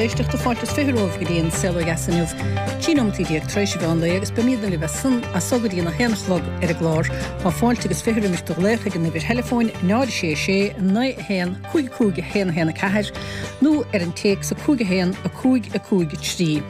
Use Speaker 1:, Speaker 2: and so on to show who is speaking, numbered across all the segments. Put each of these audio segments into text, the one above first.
Speaker 1: éisteachta, fáilte is 20 romhaibh go dtí an Saol Ó Dheas inniu, 13 nóimeataí tar éis an mheán lae agus beimídne libh as san as so go dtí an 1 a chlog ar an gclár. Tá fáilte agus 20 roimis do ghlaoch ag an uimhir theileafóin 0 6 6 9 1 5 5 1 1 4 nó ar an téacs 5 1 5 5 3.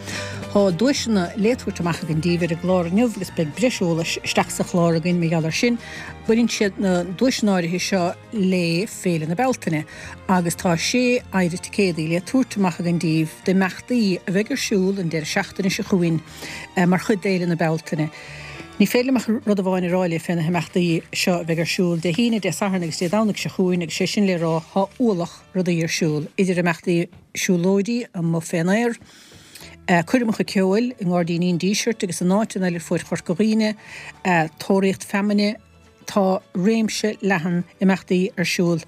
Speaker 1: Tá duaiseanna le tabhairt amach againn daoibh ar an gclár inniu agus beidh breis eolais isteach sa chlár againn mar gheall air sin. Baineann siad na duaiseanna áirithe seo le Féile na Bealtaine agus tá sé phéire ticéadaí le tabhairt amach againn daoibh d'imeachtaí a bheidh ar siúl an deireadh seachtaine seo chugainn mar chuid d'Fhéile na Bealtaine. Ní féidir liom ach rud amháin a rá libh fé na himeachtaí seo a bheidh ar siúl Dé hAoine, Dé Sathairn agus Dé Domhnaigh seo chugainn agus sé sin le rá tá ualach rudaí ar siúl, idir imeachtaí siúlóidí amuigh fén aer, coirmeacha ceoil i nGairdíní an Dísirt agus in áiteanna eile ar fuaid Chorca Dhuibhne, tóraíocht feamainne, Tá réimse leathan imeachtaí ar siúl.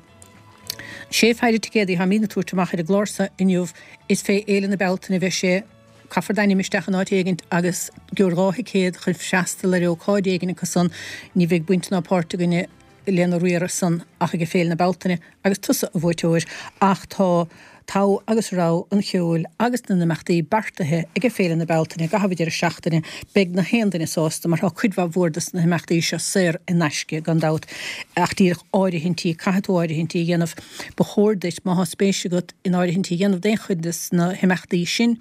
Speaker 1: Sé phéire ticéadaí atáimíd ag tabhairt amach ar an gclár so inniu. Is fé Fhéile na Bealtaine a bheidh sé. Caithfear d'ainm isteach in áit éigint agus gheobhair 2 thicéad chun freastal ar ócáid éigin acu san. Ní bheidh baint ná páirt againne lena riaradh san ach ag Féile na Bealtaine agus tusa a bhuaiteoir. Ach tá togha agus rogha an cheoil agus na n-imeachtaí beartaithe ag Féile na Bealtaine i gcaitheamh an deireadh seachtaine. Beidh na haon duine sásta mar tá cuid mhaith mhór dos na himeachtaí seo saor in aisce gan dabht ach díreach áirithintí, caithfidh tú áirithintí a dhéanamh. Ba chóir duit, má thá spéis agat in áirithintí a dhéanamh d'aon chuid des na himeachtaí sin,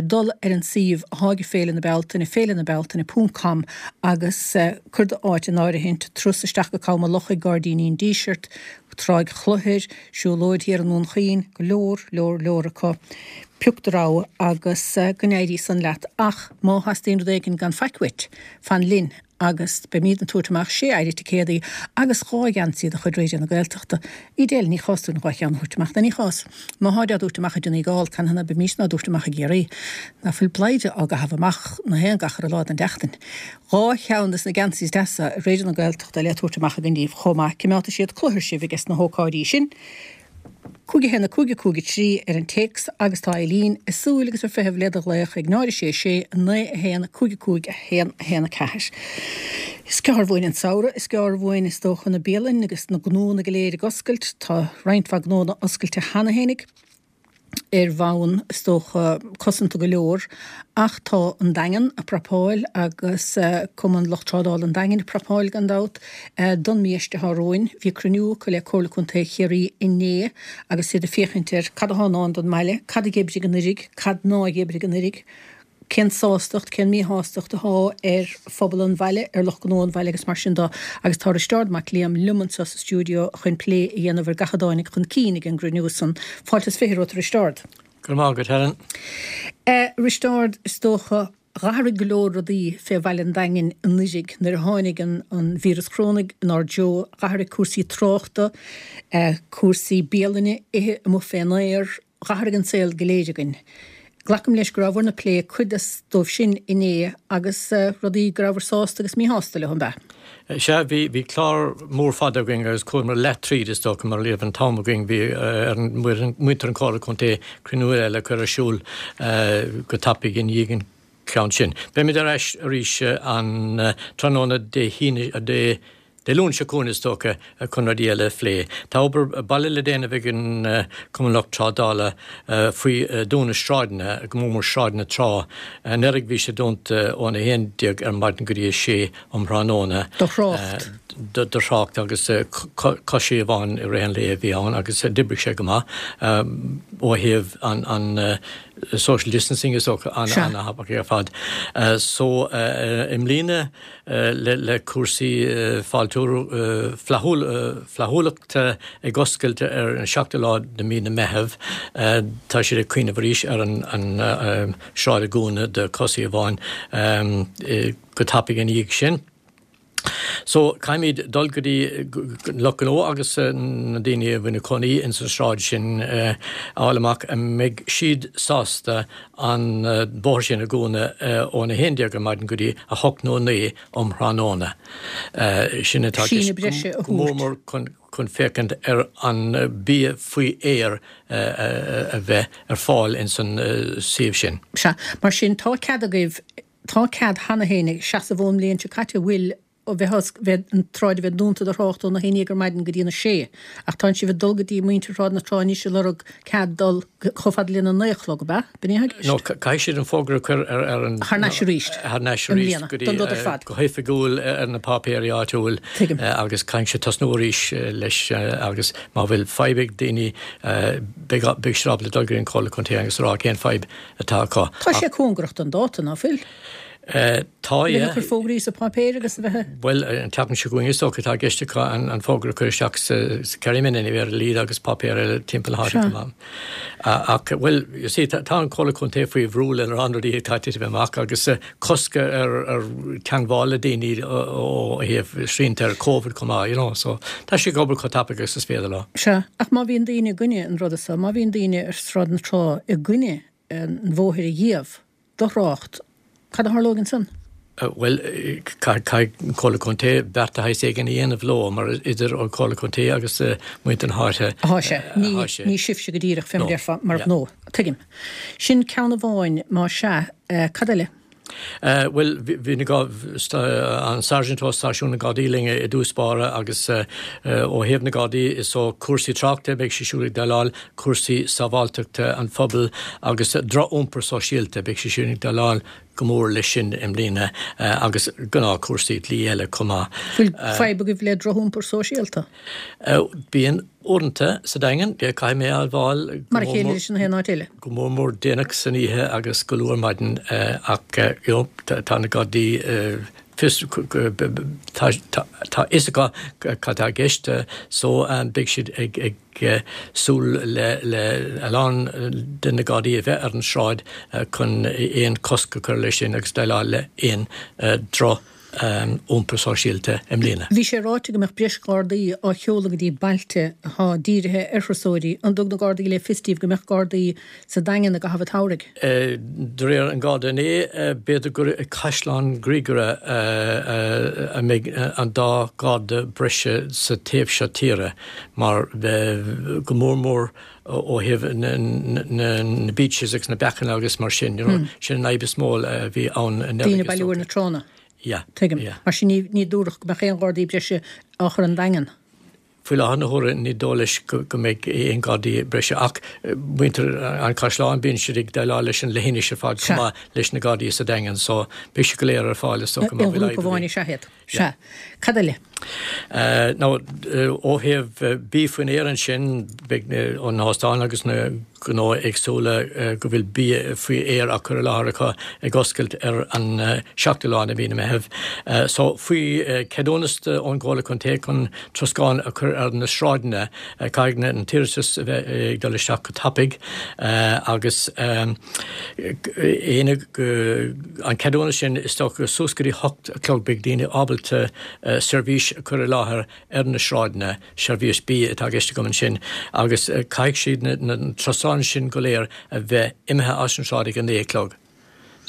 Speaker 1: dul ar an suíomh athá ag Féile na Bealtaine, féilenabealtaine ponc com, agus cuir d'áit in áirithint, turas isteach go Cabhán an Lochaigh, Gairdíní an Dísirt, Tráigh Chlochair, siúlóid thiar i nDún Chaoin, go leor, leor, leor acu. Pioc do rogha agus go n-éirí san leat. Ach má theastaíonn rud éigin gan faic uait, fan linn agus beimíd ag tabhairt amach sé phéire ticéadaí agus 2 gheansaí de chuid Raidió na Gaeltachta. Edel, ní chás dúinn 2 cheann a thabhairt amach, nó ní chás? Má tháid á dtabhairt amach i Donegal, canathaobh ná beimísne á dtabhairt amach i gCiarraí? Ná fuil bladhaire á gcaitheamh amach na haon gach uile lá den tseachtain? 2 cheann des na geansaithe deasa Raidió na Gaeltachta le tabhairt amach againn daoibh chomh maith. Cimeádfaidh siad cluthar sibh ages na hócáidí sin. 5 1 5 5 3 ar an téacs agus tá Eileen ag súil agus ag feitheamh le do ghlaoch ag 0 6 6 9 1 5 5 1 1 4. Is gearr uainn an samhradh, is gearr uainn is dócha na bialainn agus na gnóanna go léir ag oscailt. Tá roinnt mhaith gnóanna oscailte cheana fhéinig. ar bhonn, is dócha, cosanta go leor, ach tá an Daingean ag prapáil agus Cumann Lucht Trádála an Daingin ag prapáil, gan dabht, don mhí atá romhainn. Bhí cruinniú acu le Comhairle Contae Chiarraí inné agus iad ag féachaint ar cad atá i ndán don mbaile, cad a d'oibrigh anuraidh, cad nár oibrigh anuraidh. cén sástacht, cén míshástacht atá ar phobal an bhaile, ar lucht gnó an bhaile agus mar sin de. Agus tá Risteárd Mac Liam liom anseo sa stiúideo chun plé a dhéanamh ar gach a dtáinig chun cinn ag an gcruinniú san. Fáilte is 20 romhat, a Risteárd.
Speaker 2: Go raibh maith agat, Helen.
Speaker 1: A Risteárd, is dócha, dh'athraigh go leor rudaí fé bhaile an Daingin anuiridh nuair a tháinig an an víreas chorónaigh inár dtreo, dh'athraigh cúrsaí tráchta, cúrsaí bialainne, ithe amuigh fén aer, Dh'athraigh an saol go léir againn. Glacaim leis go rabhabhair ag plé cuid dóibh sin inné agus rudaí go rabhabhair sásta agus míshásta leo, an
Speaker 2: b'ea? Sea, bhí, bhí clár mór fada againn agus chuamar leath tríd is dócha mar ní raibh an t-am againn, bhí ar mhuintir an Chomhairle Contae cruinniú eile a chur ar siúl go tapaidh i ndiaidh an cheann sin. Beimid ar ais arís an tráthnóna Dé hAoine, Dé Dé Luain seo chugainn is dócha chun rudaí eile a phlé. Tá obair baile le déanamh ag an Cumann Lucht Trádála faoi dúnadh sráideanna, go mór mór Sráid na Trá. Anuraidh bhí sé dúnta ón 11 ar maidin go dtí 6 um thráthnóna.
Speaker 1: Do thrácht.
Speaker 2: Do thrácht agus coisí amháin i rith an lae a bhí ann agus d'oibrigh sé go maith ó thaobh an social distancing is dócha an-thapaidh ar fad. So i mbliana le cúrsaí fáiltiú flaithiúlachta ag oscailt ar an seachtú lá de mí na Meitheamh, tá siad ag cuimhneamh arís ar an sráid a dhúnadh do chosaí amháin go tapaidh ina dhiaidh sin. So, caithfimid dul go dtí lucht gnó agus na daoine a bhfuil ina cónaí ins an sráid sin a fháil amach an mbeidh siad sásta an bóthar sin a dhúnadh ón 11 ar maidin go dtí 8 nó 9 um thráthnóna. Sin atá i gceist go mór mór chun féachaint ar an bia faoi aer a bheith ar fáil ins an suíomh sin.
Speaker 1: Sea, mar sin tá cead agaibh, tá cead cheana féin ag seasamh ón mbliain seo caite, bhfuil? bheith bheith an tsráid a bheith dúnta do thrácht óna haon dhéag ar maidin go dtí na sé. Ach tánn sibh ag dul go dtí muintir Shráid na Trá anois ag lorg cead dul chomh fada lena naoi a chlog, ab ea? B'in é atá i gceist?
Speaker 2: No, caithfidh siad an fógra a chur ar ar an.
Speaker 1: Thar n-ais arís.
Speaker 2: Thar n-ais arís go dtí.
Speaker 1: Don rud ar fad.
Speaker 2: Go hoifigiúil ar na páipéirí áitiúil.
Speaker 1: Tuigim.
Speaker 2: Agus caithfidh siad tosnú arís leis agus má bhfuil fadhb ag daoine beidh beidh siad ábalta dul go dtí an Comhairle Contae agus a rá cén fadhb atá acu.
Speaker 1: Tá sé cóngarach don dáta, ná fuil?
Speaker 2: Tá,
Speaker 1: yeah. A bheith ag cur fógraí sa páipéir agus a bheith.
Speaker 2: Bhuel, an tseachtain seo chugainn is dócha, tá i gceist acu an fógra a chur isteach sa Kerryman anyway ar a laghad agus páipéir eile timpeall na háite chomh maith. Ach, bhuel, you see, tá an Comhairle Contae faoi bhrú lena lán rudaí atá ag titim amach agus cosc ar teangmháil le daoine ó thaobh srianta ar Covid chomh maith, you know, so tá siad ag obair chomh tapaidh agus is féidir leo.
Speaker 1: Sea, ach má bhíonn daoine i gcoinne an ruda so, má bhíonn daoine ar Sráid na Trá i gcoinne an bhóthair a dhíobh, do thrácht, cad a tharlóidh ansan?
Speaker 2: Bhuel, caithfidh an Comhairle Contae beart de shaghas éigin a dhéanamh leo, mar idir an Comhairle Contae agus muintir na háite
Speaker 1: atá sé. Ní sibhse go díreach, fé mar a déarfá, mar ghnó. Tuigim. Sin ceann amháin, má sea, cad eile?
Speaker 2: Bhuel, bhí an Sergeant ó Stáisiún na Gardaí linn i dtús báire agus ó thaobh na Gardaí is ó cúrsaí tráchta beidh sé siúd ag déileáil, cúrsaí sábháilteachta an phobail agus droch-iompar sóisialta, beidh sé siúd ag déileáil go mór leis sin i mbliana agus gnáthchúrsaí dlí eile chomh maith.
Speaker 1: Bhfuil fadhb agaibh le droch-iompar sóisialta?
Speaker 2: Bíonn uaireanta sa Daingean, caithfidh mé a admháil,
Speaker 1: Mar a chéile leis an aon áit eile.
Speaker 2: go mór mór déanach san oíche agus go luath ar maidin ach you know tá na Gardaí fios tá tá fhios acu cad tá i gceist so beidh siad ag ag súil le le a lán de na Gardaí a bheith ar an sráid chun aon cosc a chur leis sin agus déileáil le aon droch iompar sóisialta i mbliana.
Speaker 1: Bhí sé ráite go mbeadh breis Gardaí á sheoladh go dtí bailte atá dírithe ar thurasóirí. An dtug na Gardaí le fios daoibh go mbeadh Gardaí sa Daingean i gcaitheamh an tsamhraidh?
Speaker 2: De réir an Gharda inné, b'fhéidir gur i gCaisleán Ghriaire a mbeidh an dá Gharda breise sa taobh seo tíre mar go mór mór ó thaobh na beaches agus na beachanna agus mar sin, you know, sin an fhadhb is mó a bhí ann
Speaker 1: anuraidh. Daoine ag bailiú ar na tránna.
Speaker 2: Yeah.
Speaker 1: Tuigim. Mar sin ní dúradh go mbeadh aon Ghardaí breise á chur an Daingean.
Speaker 2: Faoi láthair na huaire ní dóigh leis go mbeidh aon Ghardaí breise ach muintir an Chaisleáin bíonn siad ag déileáil leis an leithinis ar fad chomh maith leis na Gardaí sa Daingean so beidh siad go léir ar fáil is dócha
Speaker 1: má bhfuil fadhb. Aon ghrúpa amháin is ea iad. Sea. Cad eile?
Speaker 2: Now, ó thaobh bia faoin aer ansin, beidh na hóstáin agus na gnó éagsúla go bhfuil bia faoi aer á cur i láthair acu ag oscailt ar an seachtú lá de mhí na Meitheamh. So, faoi ceadúnas ón gComhairle Contae chun troscán a chur ar na sráideanna, caithfidh an t-iarratas a bheith ag dul isteach go tapaidh agus an ceadúnas sin is dócha suas go dtí hocht a chlog beidh daoine ábalta seirbhís a chur i láthair ar na sráideanna, seirbhís bia atá i gceist agam ansin, agus caithfidh siad na troscáin sin go léir a bheith imithe as an sráid ag a naoi a chlog.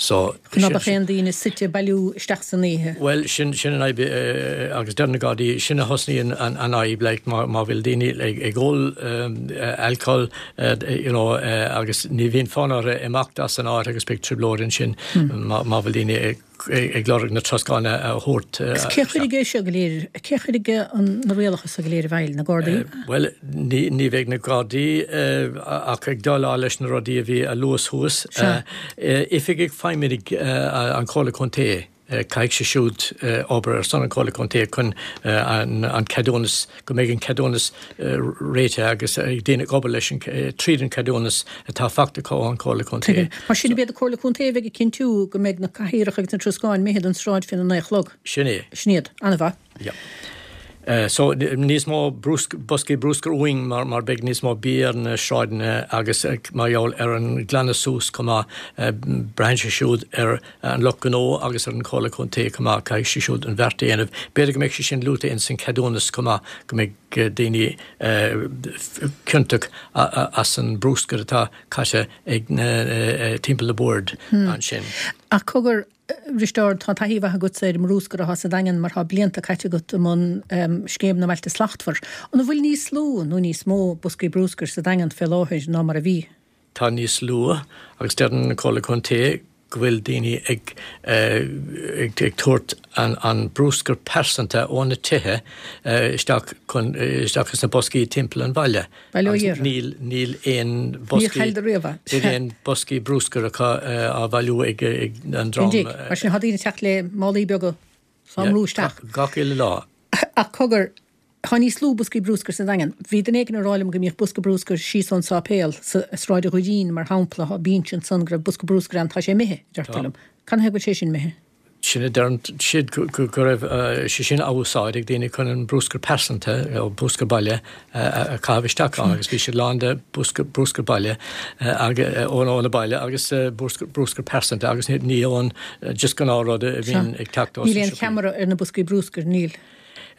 Speaker 1: So, Ná beadh aon daoine suite ag bailiú isteach san oíche.
Speaker 2: Bhuel, sin, sin an fhadhb agus deir na Gardaí, sin a thosnaíonn an, an fhadhb, like, má, má bhfuil daoine ag, ag ól alcohol, you know, agus ní bhíonn fonn orthu imeacht as an áit agus beidh trioblóid ansin má, má bhfuil daoine ag, ag lorg na troscáin a thabhairt.
Speaker 1: Agus cé a chuirfidh é seo go léir, cé a chuirfidh na rialacha seo go léir i bhfeidhm, na Gardaí?
Speaker 2: Bhuel, ní bheidh na Gardaí ach ag déileáil leis na rudaí a bhí á lua thuas. Oifigigh Feidhmeannaigh an Chomhairle Contae, caithfidh siad siúd obair ar son an Chomhairle Contae chun an ceadúnas, go mbeidh an ceadúnas réitithe agus daoine ag obair leis an, tríd an cheadúnas atá faighte acu ón Chomhairle Contae.
Speaker 1: Tuigim. Mar sin, ab iad an Comhairle Contae a bheidh ag cinntiú go mbeidh na cathaoireacha agus na troscáin imithe den sráid faoina naoi a chlog?
Speaker 2: Sin é.
Speaker 1: Sin iad. An-mhaith.
Speaker 2: Yeah. So, níos mó boscaí bruscair uainn mar mar beidh níos mó bia ar na sráideanna agus mar gheall ar an glanadh suas chomh maith, braitheann sé siúd ar an lucht gnó agus ar an Chomhairle Contae chomh maith, caithfidh siad siúd an bheart a dhéanamh. B'fhéidir go mbeidh sé sin luaite ins an ceadúnas chomh maith, go mbeidh daoine ciontach as an bruscar atá caite ag na timpeall na boird ansin.
Speaker 1: Ach cogar, Risteárd, tá taithí mhaith agatsa ar an mbrúscar atá sa Daingean mar tá blianta caite agat i mbun Scéim na mBailte Slachtmhar. An bhfuil níos lú nó níos mó boscaí brúscair sa Daingean fé láthair ná mar a bhí?
Speaker 2: Tá níos lú agus deireann an Comhairle Contae. go bhfuil daoine ag ag tabhairt an brúscar pearsanta ó na tithe isteach chun isteach sna boscaí timpeall an bhaile.
Speaker 1: Bail ó Dhia
Speaker 2: orthu. Níl níl aon boscaí níl aon boscaí brúscair acu á bhailiú ag an
Speaker 1: dream. Mar sin tá daoine ag teacht le málaí beaga 's á mbrú isteach.
Speaker 2: Gach uile lá.
Speaker 1: Ach cogar, tá níos lú boscaí brúscair sa Daingean. Bhí duine éigin ag rá liom go mbíodh bosca brúscair síos ón sáipéal, sa Sráid an Dhoirín, mar shampla, tá binse ansan go raibh bosca brúscair ann, tá sé imithe, a deirtear liom. Canathaobh go bhfuil sé sin imithe?
Speaker 2: Sin a deireann siad, go raibh sé sin á úsáid ag daoine chun an brúscar pearsanta, nó brúscar baile, a chaitheamh isteach ann agus bhí siad lán de brúscar baile ó na baile agus brúscar pearsanta agus ní ón just gnáthrud a bhíonn ag teacht
Speaker 1: ó Níl aon cheamara ar na boscaí brúscair, níl?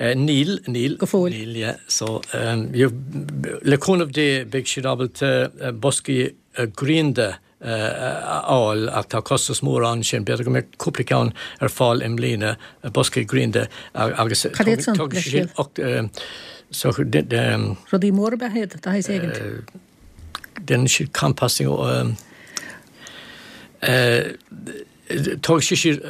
Speaker 2: Níl, níl.
Speaker 1: Go fóill.
Speaker 2: Níl, yeah. So, le cúnamh Dé beidh siad ábalta boscaí grianda a fháil ach tá costas mór ann sin. B'fhéidir go mbeidh cúpla ceann ar fáil i mbliana, boscaí grianda
Speaker 1: agus tógfaidh sé sin Rudaí móra ab ea iad, de shaghas éigint.
Speaker 2: Déanann siad composting tógfaidh sé siad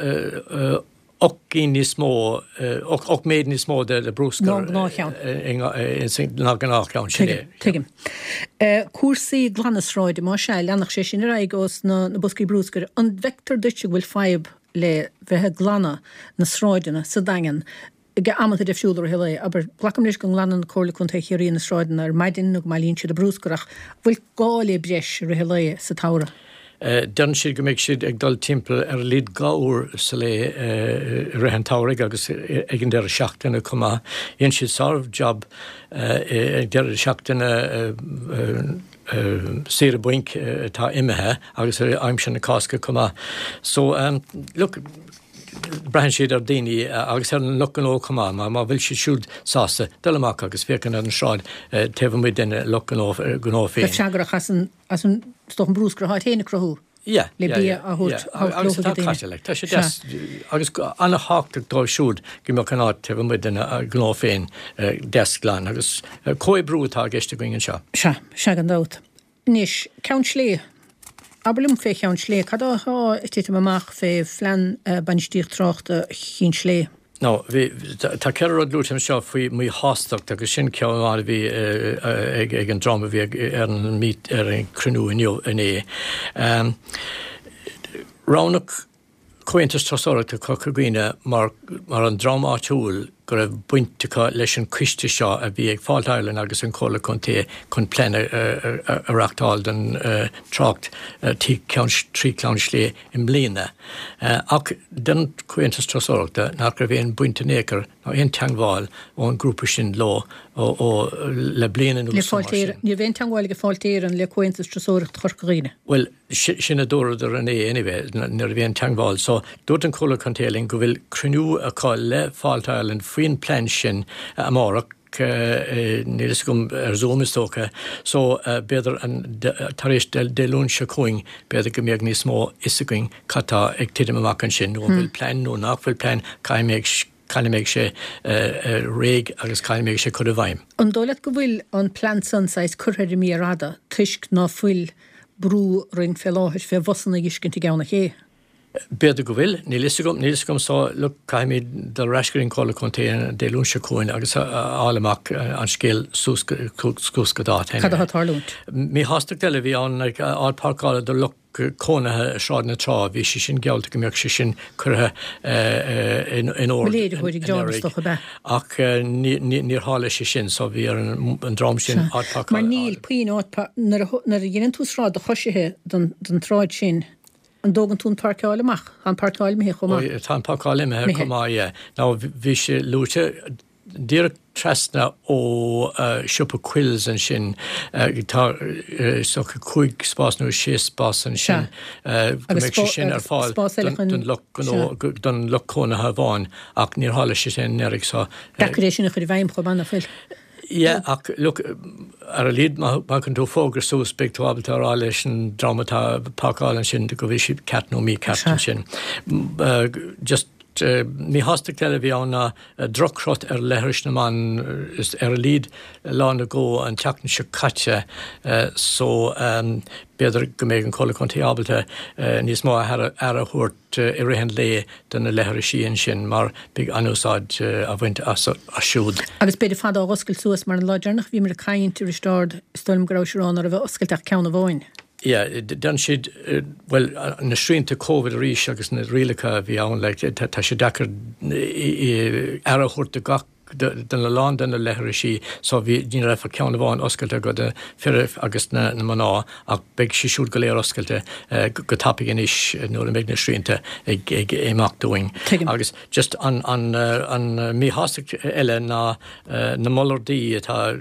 Speaker 2: 8 gcinn níos mó, 8 méid níos mó de brúscar
Speaker 1: ná an gnáthcheann.
Speaker 2: Ná an gnáthcheann, sin
Speaker 1: é. Tuigim. Cúrsaí glanadh sráide, más ea, leanfadh sé sin ar aghaidh ós na boscaí brúscair. An bhfeictear duit go bhfuil fadhb le bheith ag glanadh na sráideanna sa Daingean ag amanta difriúla i rith an lae? Abair, glacaim leis go nglanann Comhairle Contae Chiarraí na sráideanna ar maidin nó go mbailíonn siad an brúscar ach an bhfuil gá le breis i rith an lae sa tsamhradh?
Speaker 2: Deireann siad go mbeidh siad ag dul timpeall ar a laghad 2 uair sa lae i rith an tsamhraidh agus ag an deireadh seachtaine chomh maith. Dhein siad sár-jab ag deireadh seachtaine saoire bainc atá imithe agus ar aimsir na Cásca chomh maith. So, look, braitheann siad ar daoine agus ar an lucht gnó chomh maith, má bhfuil siad siúd sásta dul amach agus féachaint ar an sráid taobh amuigh den lucht gnó féin.
Speaker 1: Bheith freagrach as an As an, is dócha an brúscar atá féin ag cruthú
Speaker 2: Yeah,
Speaker 1: le
Speaker 2: yeah,
Speaker 1: bia
Speaker 2: yeah,
Speaker 1: a thabhairt,
Speaker 2: yeah.
Speaker 1: a thabhairt
Speaker 2: Agus
Speaker 1: leo
Speaker 2: tá
Speaker 1: chuig daoine.
Speaker 2: caite, like, tá sé
Speaker 1: Sea.
Speaker 2: deas agus ana-thábhachtach dóibh siúd go mbeadh an áit taobh amuigh den gnó féin deas glan agus comhoibriú atá i gceist againn anseo.
Speaker 1: Sea, sea gan dabht. Anois, Ceann Slé. Abair liom fé Cheann Slé, cad atá ag titim amach fé phlean bainistíocht tráchta Chinn Slé?
Speaker 2: Now, bhí, tá ceithre rud luaite anseo faoi mhíshástacht agus sin ceann amháin a bhí ag ag an dream a bhí ar an meet, ar an cruinniú inniu, inné. Roghnaíodh Comhaontas Turasóireachta Chorca Dhuibhne mar mar an dream áitiúil go raibh baint acu leis an coiste seo a bhí ag Fáilte Ireland agus an Chomhairle Contae chun plean a a reachtáil don trácht trí Cheann Slé i mbliana. Ach deir an Comhaontas Turasóireachta nach raibh aon baint in aon chor ná aon teangmháil ón ngrúpa sin leo ó le bliain
Speaker 1: anuas nó mar sin. Ní raibh aon teangmháil ag Fáilte Éireann le Comhaontas Turasóireachta Chorca Dhuibhne.
Speaker 2: Bhuel, sin a dúradar inné anyway, ní raibh aon teangmháil. So, dúirt an Comhairle Contae linn go bhfuil cruinniú acu le Fáilte Ireland faoin plean sin amárach. Níl fhios agam ar Zoom is dócha. So, b'fhéidir tar éis Dé Luain seo chugainn, b'fhéidir go mbeadh níos mó fhios againn cad tá ag titim amach ansin, nó an bhfuil plean nó nach bhfuil plean, cá mbeidh, cá mbeidh sé réidh agus cá mbeidh sé curtha i bhfeidhm.
Speaker 1: An dóigh leat go bhfuil an plean san saghas curtha ar an mhéar fhada toisc ná fuil brú orainn fé láthair fé bhusanna a fheiscint i gCeann an Ché?
Speaker 2: B'fhéidir go bhfuil, níl fhios agam, níl fhios agam so look caithfimid dul ar ais go dtí an Comhairle Contae an Dé Luain seo chugainn agus a fháil amach an scéal suas go suas go dáta
Speaker 1: Cad atá ag tarlúint?
Speaker 2: Míshástacht eile a bhí ann like áit páirceála do lucht cónaithe i Sráid na Trá, bhí sé sin geallta go mbeadh sé sin curtha in in
Speaker 1: ord Mo léiritheoir ag John is dócha ab ea?
Speaker 2: Ach níor tharla sé sin so bhí ar an dream sin áit
Speaker 1: páirceála Mar níl puinn áit nuair a dheineann tú sráid do choisithe den tsráid sin An dtógann tú an páirceáil amach? Tá an páirceáil imithe chomh
Speaker 2: maith. Tá an páirceáil imithe chomh maith, yeah. Now bhí sé luaite díreach trasna ó siopa Quills ansin, tá is dócha cúig spás nó sé spás ansin, go mbeidh sé sin ar fáil don lucht gnó, don lucht cónaithe amháin, ach níor tharla sé sin anuraidh
Speaker 1: so. Deacair é sin a chur i bhfeidhm chomh maith, nach bhfuil?
Speaker 2: Yeah, ach look, ar a laghad má thagann tú fógra suas beidh tú ábalta a rá leis an dream atá ag páirceáil ansin go bhfuil siad ceart nó mícheart ansin. Just. Míshástacht eile a bhí ann ná droch-chrot ar leithris na mban is ar a laghad lá nó dhó an tseachtain seo caite so b'fhéidir go mbeidh an Chomhairle Contae ábalta níos mó aire a thabhairt i rith an lae do na leithrisí ansin mar beidh an-úsáid á bhaint as siúd.
Speaker 1: Agus b'fhéidir fad á dh'oscailt suas mar an lá deireanach a bhíomar ag caint, a Risteárd, is dóigh liom go rabhais ag rá ná raibh oscailte ach ceann amháin.
Speaker 2: Yeah, déanann siad, bhuel, na srianta Covid arís agus na rialacha a bhí ann, like, tá sé deacair aire a thabhairt do gach, do a lán de na leithrisí, so bhí, ní raibh ach ceann amháin oscailte do na fir agus na mná ach beidh siad siúd go léir oscailte go tapaidh anois nuair a mbeidh na srianta ag, ag imeacht dúinn.
Speaker 1: Tuigim.
Speaker 2: Agus just an, an, an míshástacht eile ná na mullardaí atá,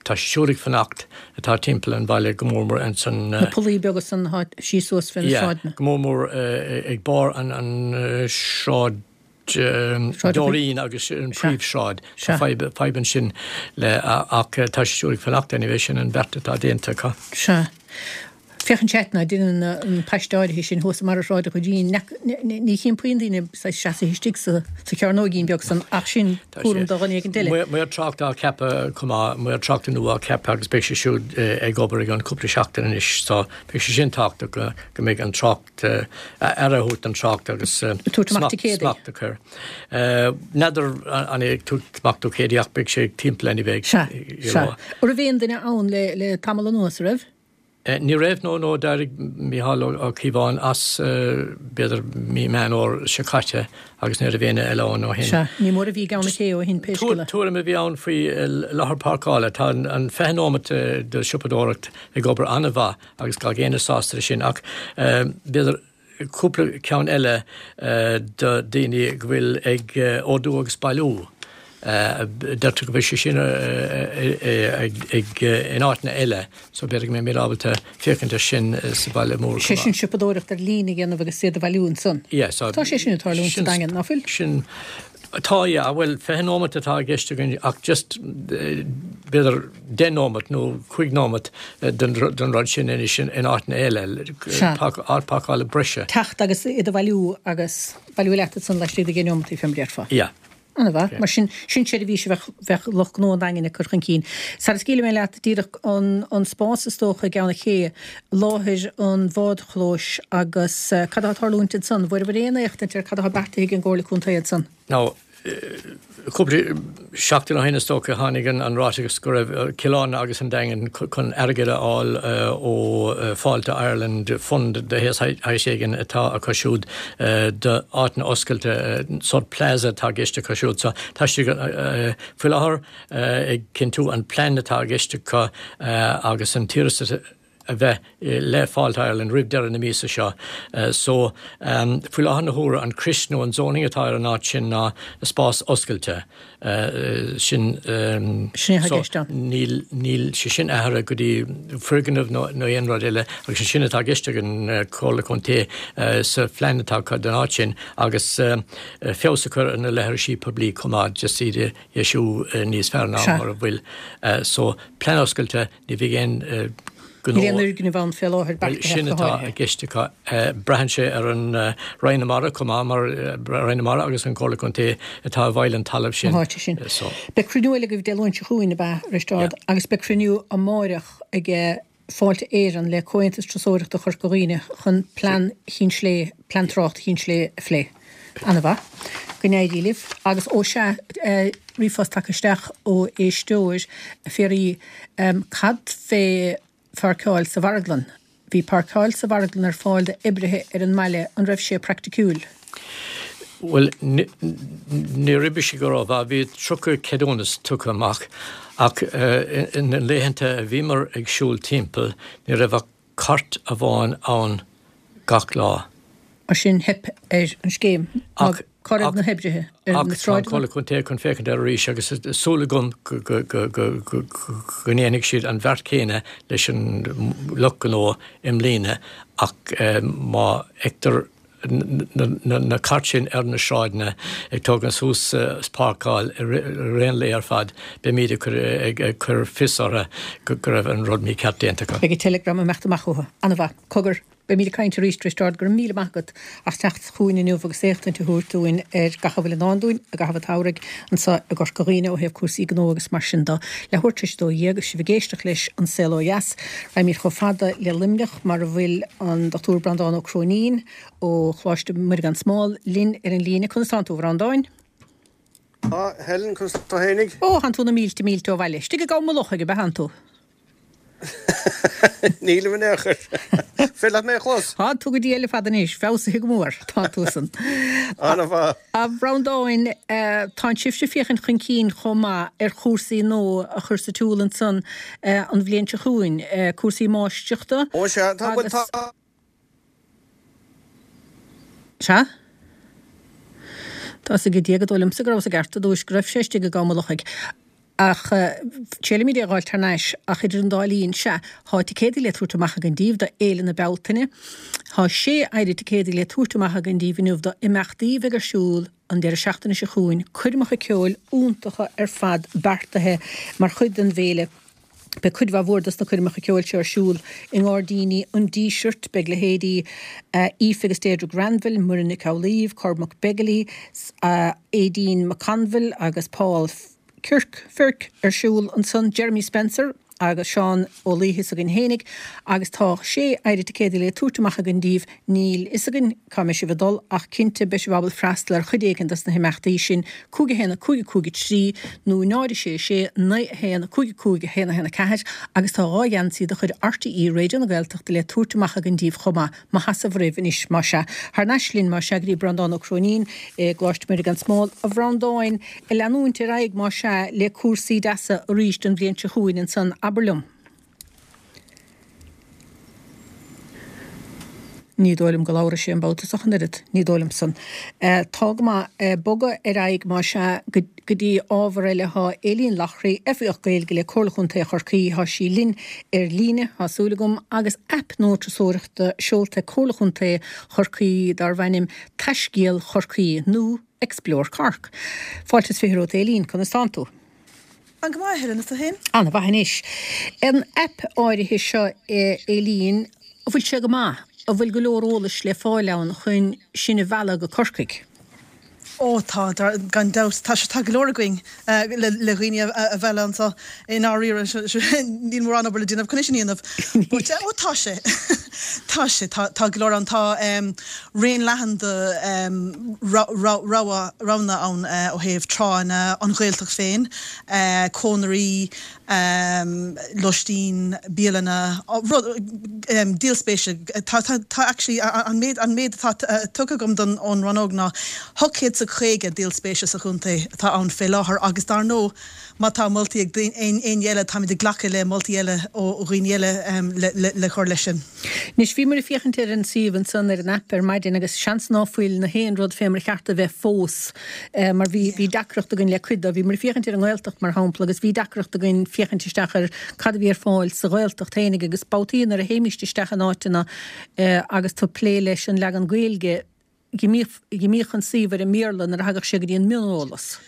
Speaker 2: Tá siad siúd ag fanacht atá timpeall an bhaile go mór mór ins an.
Speaker 1: Na pollaí beaga san atá síos suas fé na
Speaker 2: sráideanna. Yeah, go mór mór ag barr an an sráid Doreen agus an príomhshráid. Tá fadhb fadhb ansin le ach tá siad siúd ag fanacht anyway sin an beart atá déanta acu.
Speaker 1: Sea. Féachann sé ait ná déanann an paiste áirithe sin thuas i mbarra Shráid an Dhoirín. Ní chím puinn daoine seasaithe istigh sa chearnóigín beag san ach sin cúram do dhuine éigint eile.
Speaker 2: Maor tráchta á ceapadh chomh maith, maor tráchta nua á ceapadh agus beidh sé siúd ag obair i gcionn cúpla seachtain anois so beidh sé sin tábhachtach go mbeidh an trácht, aire a thabhairt don trácht agus smacht a chur. N'fheadar an é ag tabhairt amach ticéadaí ach beidh sé timpeall anyway.
Speaker 1: Sea, sea. An raibh aon duine ann le tamall anuas, an raibh?
Speaker 2: Ní raibh, no, no, d'éirigh Mícheál Ó Cíobháin as b'fhéidir mí Meán Fhómhair seo caite agus ní raibh éinne eile ann ó shin.
Speaker 1: Sea, ní mór a bhí i gCeann na Cé ó shin pé scéal é.
Speaker 2: Tuairim a bhí ann faoi láthair páirceála. Tá an 20 nóimeat de shiopadóireacht ag obair an-mhaith agus gach éinne sásta leis sin ach b'fhéidir cúpla ceann eile do daoine go bhfuil ag ordú agus bailiú. Deirtear go bhfuil sé sin ag in áiteanna eile so b'fhéidir go mbeimid ábalta féachaint ar sin sa bhaile mór
Speaker 1: chomh maith. Sé sin siopadóireacht ar líne a dhéanamh agus iad a bhailiú ansan.
Speaker 2: Yeah, so.
Speaker 1: Tá sé sin ag tarlúint sa Daingean, ná fuil?
Speaker 2: Sin. Tá, yeah. Bhuel, 20 nóimeat atá i gceist againn ach just b'fhéidir 10 nóimeat nó 5 nóimeat den rud sin anois in áiteanna eile, áit páirceála breise.
Speaker 1: Teacht agus iad a bhailiú agus bailiú leat ansan laistigh de dheich nóimeataí, fé mar a déarfá.
Speaker 2: Yeah.
Speaker 1: Ana-mhaith. Mar sin, sin seirbhís a bheadh, bheadh lucht gnó an Daingin ag cur chun cinn. Sara scaoilfidh mé leat, díreach an, an spás is dócha i gCeann an Ché, láthair an bhádchlóis agus cad atá ag tarlúint ansan? Bhfuaireabhair aon éachtaint ar cad atá beartaithe ag an gComhairle Contae ansan?
Speaker 2: Now, cúpla seachtain ó shin is dócha tháinig an ráiteas go raibh Cill Airne agus an Daingean chun airgead a fháil ó Fáilte Ireland, fund de shaghas éigin atá acu siúd d'áiteanna oscailte, sórt plaza atá i gceist acu siúd. So tá siad faoi láthair ag cinntiú an plean atá i gceist acu agus an t-iarratas a bheith le Fáilte Ireland roimh deireadh na míosa seo. So, faoi láthair na huaire, an crios nó an zoning atá ar an áit sin ná spás oscailte. Sin,
Speaker 1: Sin é atá i gceist
Speaker 2: ann. Níl, níl sé sin athraithe go dtí foirgneamh nó aon rud eile agus sin atá i gceist ag an Comhairle Contae sa phlean atá acu don áit sin agus feabhas a chur ar na leithrisí poiblí chomh maith, just iad a dheisiú níos fearr ná mar a bhfuil. So, plean oscailte, Ní bheidh aon
Speaker 1: ghnó. Níl aon fhoirgneamh ann fé láthair
Speaker 2: beartaithe Sin atá i gceist acu. Braitheann sé ar an Roinn na Mara chomh maith mar Roinn na Mara agus an Comhairle Contae atá i bhfeighil an talaimh
Speaker 1: sin. An háite sin. Beidh cruinniú eile agaibh Dé Luain seo chugainn, ab ea, a Risteárd? Agus beidh cruinniú amáireach ag Fáilte Éireann le Comhaontas Turasóireachta Chorca Dhuibhne chun plean Chinn Slé, plean tráchta Chinn Slé a phlé. Ana-mhaith. Go n-éirí libh. Agus ó sea, ríomhphost tagtha isteach ó éisteoir, ag fiafraí cad fé pháirceáil sa mharglann? Bhí páirceáil sa mharglann ar fáil d'oibrithe ar an mbaile, an raibh sé praiticiúil?
Speaker 2: Bhuel, níor oibrigh sé go rómhaith. Bhí 30 ceadúnas tugtha amach ach na laethanta a bhíomar ag siúl timpeall, ní raibh ach cairt amháin ann gach lá.
Speaker 1: Mar sin, theip ar an scéim. Ach cá raibh na hoibrithe?
Speaker 2: Ar na sráideanna? Ach tá an Comhairle Contae chun féachaint air arís agus súil agam go ndéanfaidh siad an bheart chéanna leis an lucht gnó i mbliana ach má fheictear na cairt sin ar na sráideanna ag tógaint suas is páirceáil i rith an lae ar fad, beimid ag cur fios orthu go raibh an rud mícheart déanta acu.
Speaker 1: Beidh an teileagram ag imeacht amach uathu. An-mhaith. Cogar. Beimid ag caint arís, Risteárd. Go raibh míle maith agat as teacht chugainn inniu agus éachtaint a thabhairt dúinn ar gach a bhfuil i ndán dúinn i gcaitheamh an tsamhraidh anseo i gCorca Dhuibhne ó thaobh cúrsaí gnó agus mar sin de. Leathuair tar éis a 12 agus sibh ag éisteacht leis An Saol Ó Dheas. Raghaimid chomh fada le Luimneach mar a bhfuil an Dr Breandán Ó Cróinín ó Choláiste Mhuire gan Smál linn ar an líne. Conas tánn tú, a Bhreandáin?
Speaker 3: Tá, Helen, conas tá tú fhéinig?
Speaker 1: Ó, thánn tú na mílte mílte ó bhaile. Istigh i gCom Mullach, ab ea thánn tú?
Speaker 3: Nílim in aon chor. Féidir leat mé a chlos?
Speaker 1: Tá tú go diail ar fad anois, feabhsaithe go mór, tá tusan.
Speaker 3: An-mhaith.
Speaker 1: A Bhreandáin, tánn sibhse ag féachaint chun cinn chomh maith ar chúrsaí nua a chur sa tsiúl ansan an bhliain seo chugainn, cúrsaí máistreachta
Speaker 3: Ó sea, tá, bhuel
Speaker 1: agus.
Speaker 3: tá.
Speaker 1: Sea? Tá's ag Dia gur dóigh liomsa go rabhas i gceart i dtús, go raibh sé istigh i gCom an Lochaigh. Ach triailfimid é a dh'fháilt thar n-ais. Ach idir an dá linn, sea, thá ticéadaí le tabhairt amach againn díbh do Fhéile na Bealtaine. Thá sé oiread ticéadaí le tabhairt amach againn díbh inniu do imeachtaí a bheidh ar siúl an deireadh seachtaine seo chugainn, coirmeacha ceoil iontacha ar fad beartaithe mar chuid den bhféile. Beidh cuid mhaith mhór dos na coirmeacha ceoil seo ar siúl i nGairdíní an Dísirt. Beidh leithéidí Aoife agus Deirdre Granville, Muireann Nic Amhlaoibh, Cormac Begley, Aideen McConville agus Paul Kirk, Firk ar siúl ansan, Jeremy Spencer agus Seán Ó Laoithe s'againn fhéinig agus tá sé oiread ticéadaí le tabhairt amach againn díbh. Níl fhios againn cá mbeidh sibh ag dul ach cinnte beidh sibh ábalta freastal ar chuid éigin dos na himeachtaí sin, 5 1 5 5 3 nó 0 6 6 9 1 5 5 1 1 4 agus tá 2 gheansaí de chuid RTÉ Raidió na Gaeltachta le tabhairt amach againn díbh chomh maith. Maith as ucht roimh anois más ea. Thar n-ais linn más ea go dtí Breandán Ó Cróinín i gColáiste Mhuire gan Smál. A Bhreandáin, ag leanúint ar aghaidh más ea le cúrsaí deasa arís don bhliain seo chugainn ansan, abair liom. Ní dóigh liom go labhróidh sé an babhta seo ach an oiread, ní dóigh liom san. Tá go maith. Bogadh ar aghaidh más ea go dtí ábhar eile. Thá Aileen Loughrey, Oifigeach Gaeilge le Comhairle Chontae Chorcaí, thá sí linn ar líne, thá súil agam, agus aip nua turasóireachta seolta ag Comhairle Chontae Chorcaí darbh ainm Taiscéal Chorcaí nó Explore Cork. Fáilte is 20 romhat Aileen, conas tánn tú?
Speaker 4: An go maith, a Helen, is tú féin?
Speaker 1: An-mhaith anois. An aip áirithe seo, Aileen, an bhfuil sé go maith? An bhfuil go leor eolais le fáil ann chun sinn a mhealladh go Corcaigh?
Speaker 4: Ó tá, gan dabht. Tá, tá go leor againn le le dhaoine a mhealladh anseo i ndáiríre. Níl mórán obair le déanamh chun é sin a dhéanamh. But ó tá sé. Tá sé. Tá, tá go leor ann. Tá raon leathan de roghanna ann ó thaobh tránna, an Ghaeltacht féin, cónairí, lóistín, bialanna, díol spéise. Tá, tá actually an méid, an méid atá tugtha agam don, ón rannóg ná 850 díol spéise sa chontae atá ann fé láthair agus dar ndóigh má tá moltaí ag éinne eile táimid ag glacadh le moltaí eile ó dhaoine eile le, le cur leis sin.
Speaker 1: Anois, bhíomar ag féachaint ar an suíomh ansan, ar an aip ar maidin agus seans ná fuil na haon rud fé mar a cheart a bheith fós mar bhí, bhí deacracht againn le cuid dó. Bhíomar ag féachaint ar an nGaeltacht mar shampla agus bhí deacracht againn féachaint isteach ar cad a bhí ar fáil sa Ghaeltacht fhéinig agus babhtaí nuair a théimíst isteach in áiteanna agus tú ag plé leis an leagan Gaeilge, Dh'imíodh an suíomh ar an mBéarla nuair a thagadh sé go dtí an mioneolas.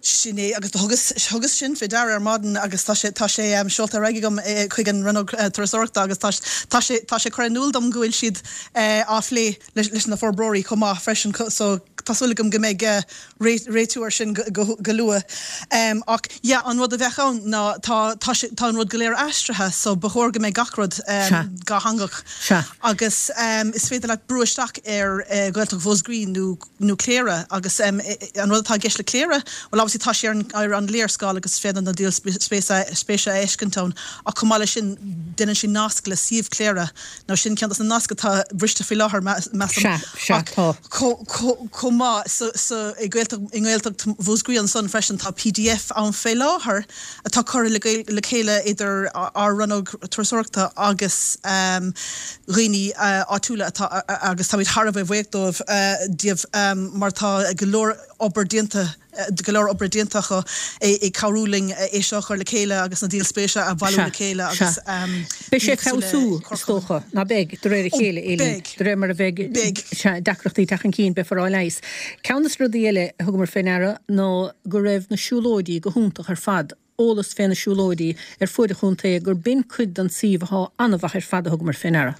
Speaker 4: Sin é, agus do thugas, thugas sin fé deara ar maidin agus tá sé, tá sé seolta ar aghaidh agam chuig an Rannóg Turasóireachta agus tá, tá sé, tá sé curtha in iúl dom go bhfuil siad á phlé leis, leis na forbróirí chomh maith freisin so tá súil agam go mbeidh réitiú air sin go, go luath. Ach yeah, an rud a bheadh ann ná tá, tá sé, tá an rud go léir aistrithe so ba chóir go mbeidh gach rud dátheangach.
Speaker 1: Sea.
Speaker 4: Agus is féidir leat brú isteach ar Ghaeltacht Mhúscraí nó nó Cléire agus an rud atá i gceist le Cléire, bhuel obviously tá sé ar an ar an léarscáil agus is féidir na díol spéise a fheiscint ann ach chomh maith leis sin déanann sé nasc le suíomh Chléire. Now sin ceann dos na naisc atá briste faoi láthair measaim.
Speaker 1: Sea, sea,
Speaker 4: Ach
Speaker 1: tá.
Speaker 4: chomh maith sa sa i Gaeltacht i nGaeltacht Mhúscraí ansan freisin tá pdf ann fé láthair atá curtha le chéile idir ár rannóg turasóireachta agus dhaoine áitiúla atá agus táimid thar a bheith buíoch dóibh díobh mar tá go leor obair déanta go leor oibre déanta acu ag cabhrú linn é seo a chur le chéile agus na díol spéise a bhailiú le chéile agus
Speaker 1: Beidh sé ag feabhsú, is dócha, ná beidh, de réir a chéile, Aileen, de réir mar a bheidh deacrachtaí ag teacht chun cinn, beifear á leigheas. Ceann de na rudaí eile a thugamar fé ndeara ná go raibh na siúlóidí go hiontach ar fad, eolas fé na siúlóidí ar fuaid an chontae, gur b'in cuid den suíomh athá an-mhaith ar fad a thugamar fé ndeara.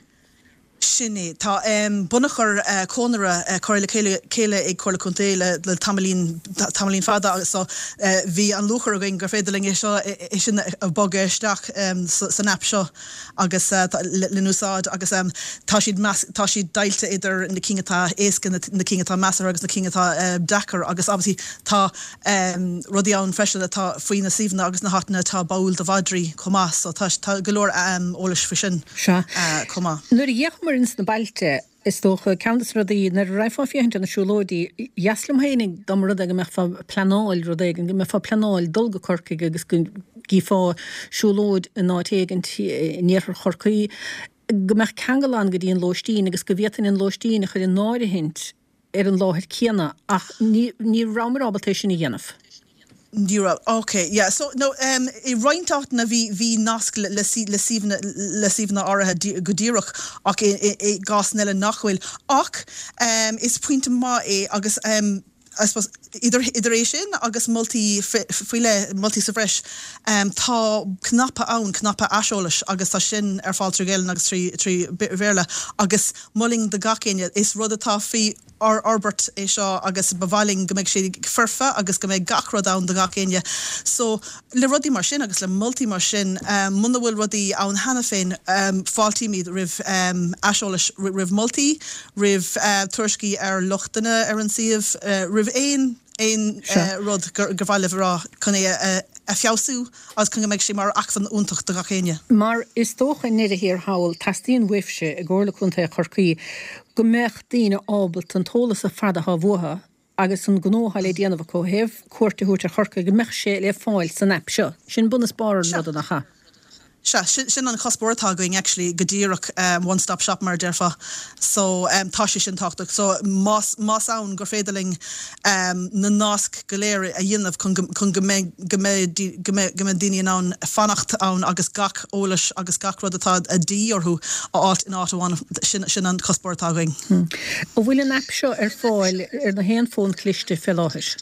Speaker 4: Sin é. Tá bunachar cónaire curtha le chéile ag Comhairle Contae le tamaillín, tamaillín fada agus so bhí an lúcháir againn gur féidir linn é seo, é sin a bhogadh isteach san aip seo agus le n-úsáid agus tá siad, tá siad deighilte idir na cinn atá éasca, na cinn atá measartha agus na cinn atá deacair agus obviously tá rudaí ann freisin atá faoi na suíomhanna agus na háiteanna atá báúil do mhadraí chomh maith so tá tá go leor eolais faoi sin chomh maith.
Speaker 1: Nuair a d'fhéachamar ins na bailte, is dócha, ceann de na rudaí, nuair a raghfá ag féachaint ar na siúlóidí, dheas liom féinig dá mba rud é go mbeifeá ag pleanáil rud éigin, go mbeifeá ag pleanáil dul go Corcaigh agus go gcífeá siúlóid in áit éigint in iarthar Chorcaí, go mbeadh ceangal ann go dtí an lóistín agus go bhféadfainn an lóistín a chur in áirithint ar an láthair céanna ach ní ní rabhamar ábalta é sin a dhéanamh.
Speaker 4: Ní raibh. Ok, yeah. So, no, em, i roinnt áiteanna bhí, bhí nasc le, le, le suíomhanna, le suíomhanna áirithe go díreach ach i, i, i gcásanna eile nach bhfuil. Ach, em, is pointe maith é agus, em, I suppose, idir, idir é sin agus moltaí faoi leith, moltaí sa bhreis, em, tá cnaipe ann, cnaipe aiseolais agus tá sin ar fáil trí Ghaelainn agus trí, trí Bhéarla agus mholfainn do gach éinne, is rud atá faoi fhorbairt é seo agus ba mhaith linn go mbeidh sé foirfe agus go mbeidh gach rud ann do gach éinne. So, le rudaí mar sin agus le moltaí mar sin, muna bhfuil rudaí ann cheana féin, fáiltímid roimh aiseolais, roimh moltaí, roimh tuairiscí ar lochtanna ar an suíomh, roimh aon aon rud gur mhaith libh a rá chun é a feabhsú agus chun go mbeidh sé mar acmhainn iontach do gach éinne.
Speaker 1: Mar is dócha i ndeireadh thiar thall, teastaíonn uaibhse i gComhairle Contae Chorcaí go mbeadh daoine ábalta an t-eolas ar fad atá uathu agus an gnó atá le déanamh acu ó thaobh cuairt a thabhairt ar Chorcaigh, go mbeadh sé le fáil san aip seo. Sin bun is barr an ruda, nach ea?
Speaker 4: Sea, sin an cuspóir atá againn actually, go díreach, one stop shop mar a déarfá. So, tá sé sin tábhachtach. So, más, más ann gur féidir linn na naisc go léir a dhéanamh chun go, chun go mbeidh, go mbeidh, go mbeidh, go mbeidh daoine in ann fanacht ann agus gach eolas agus gach rud atá de dhíth orthu a fháilt in áit amháin, sin, sin an cuspóir atá againn.
Speaker 1: An bhfuil an aip seo ar fáil ar na haon fón cliste fé láthair?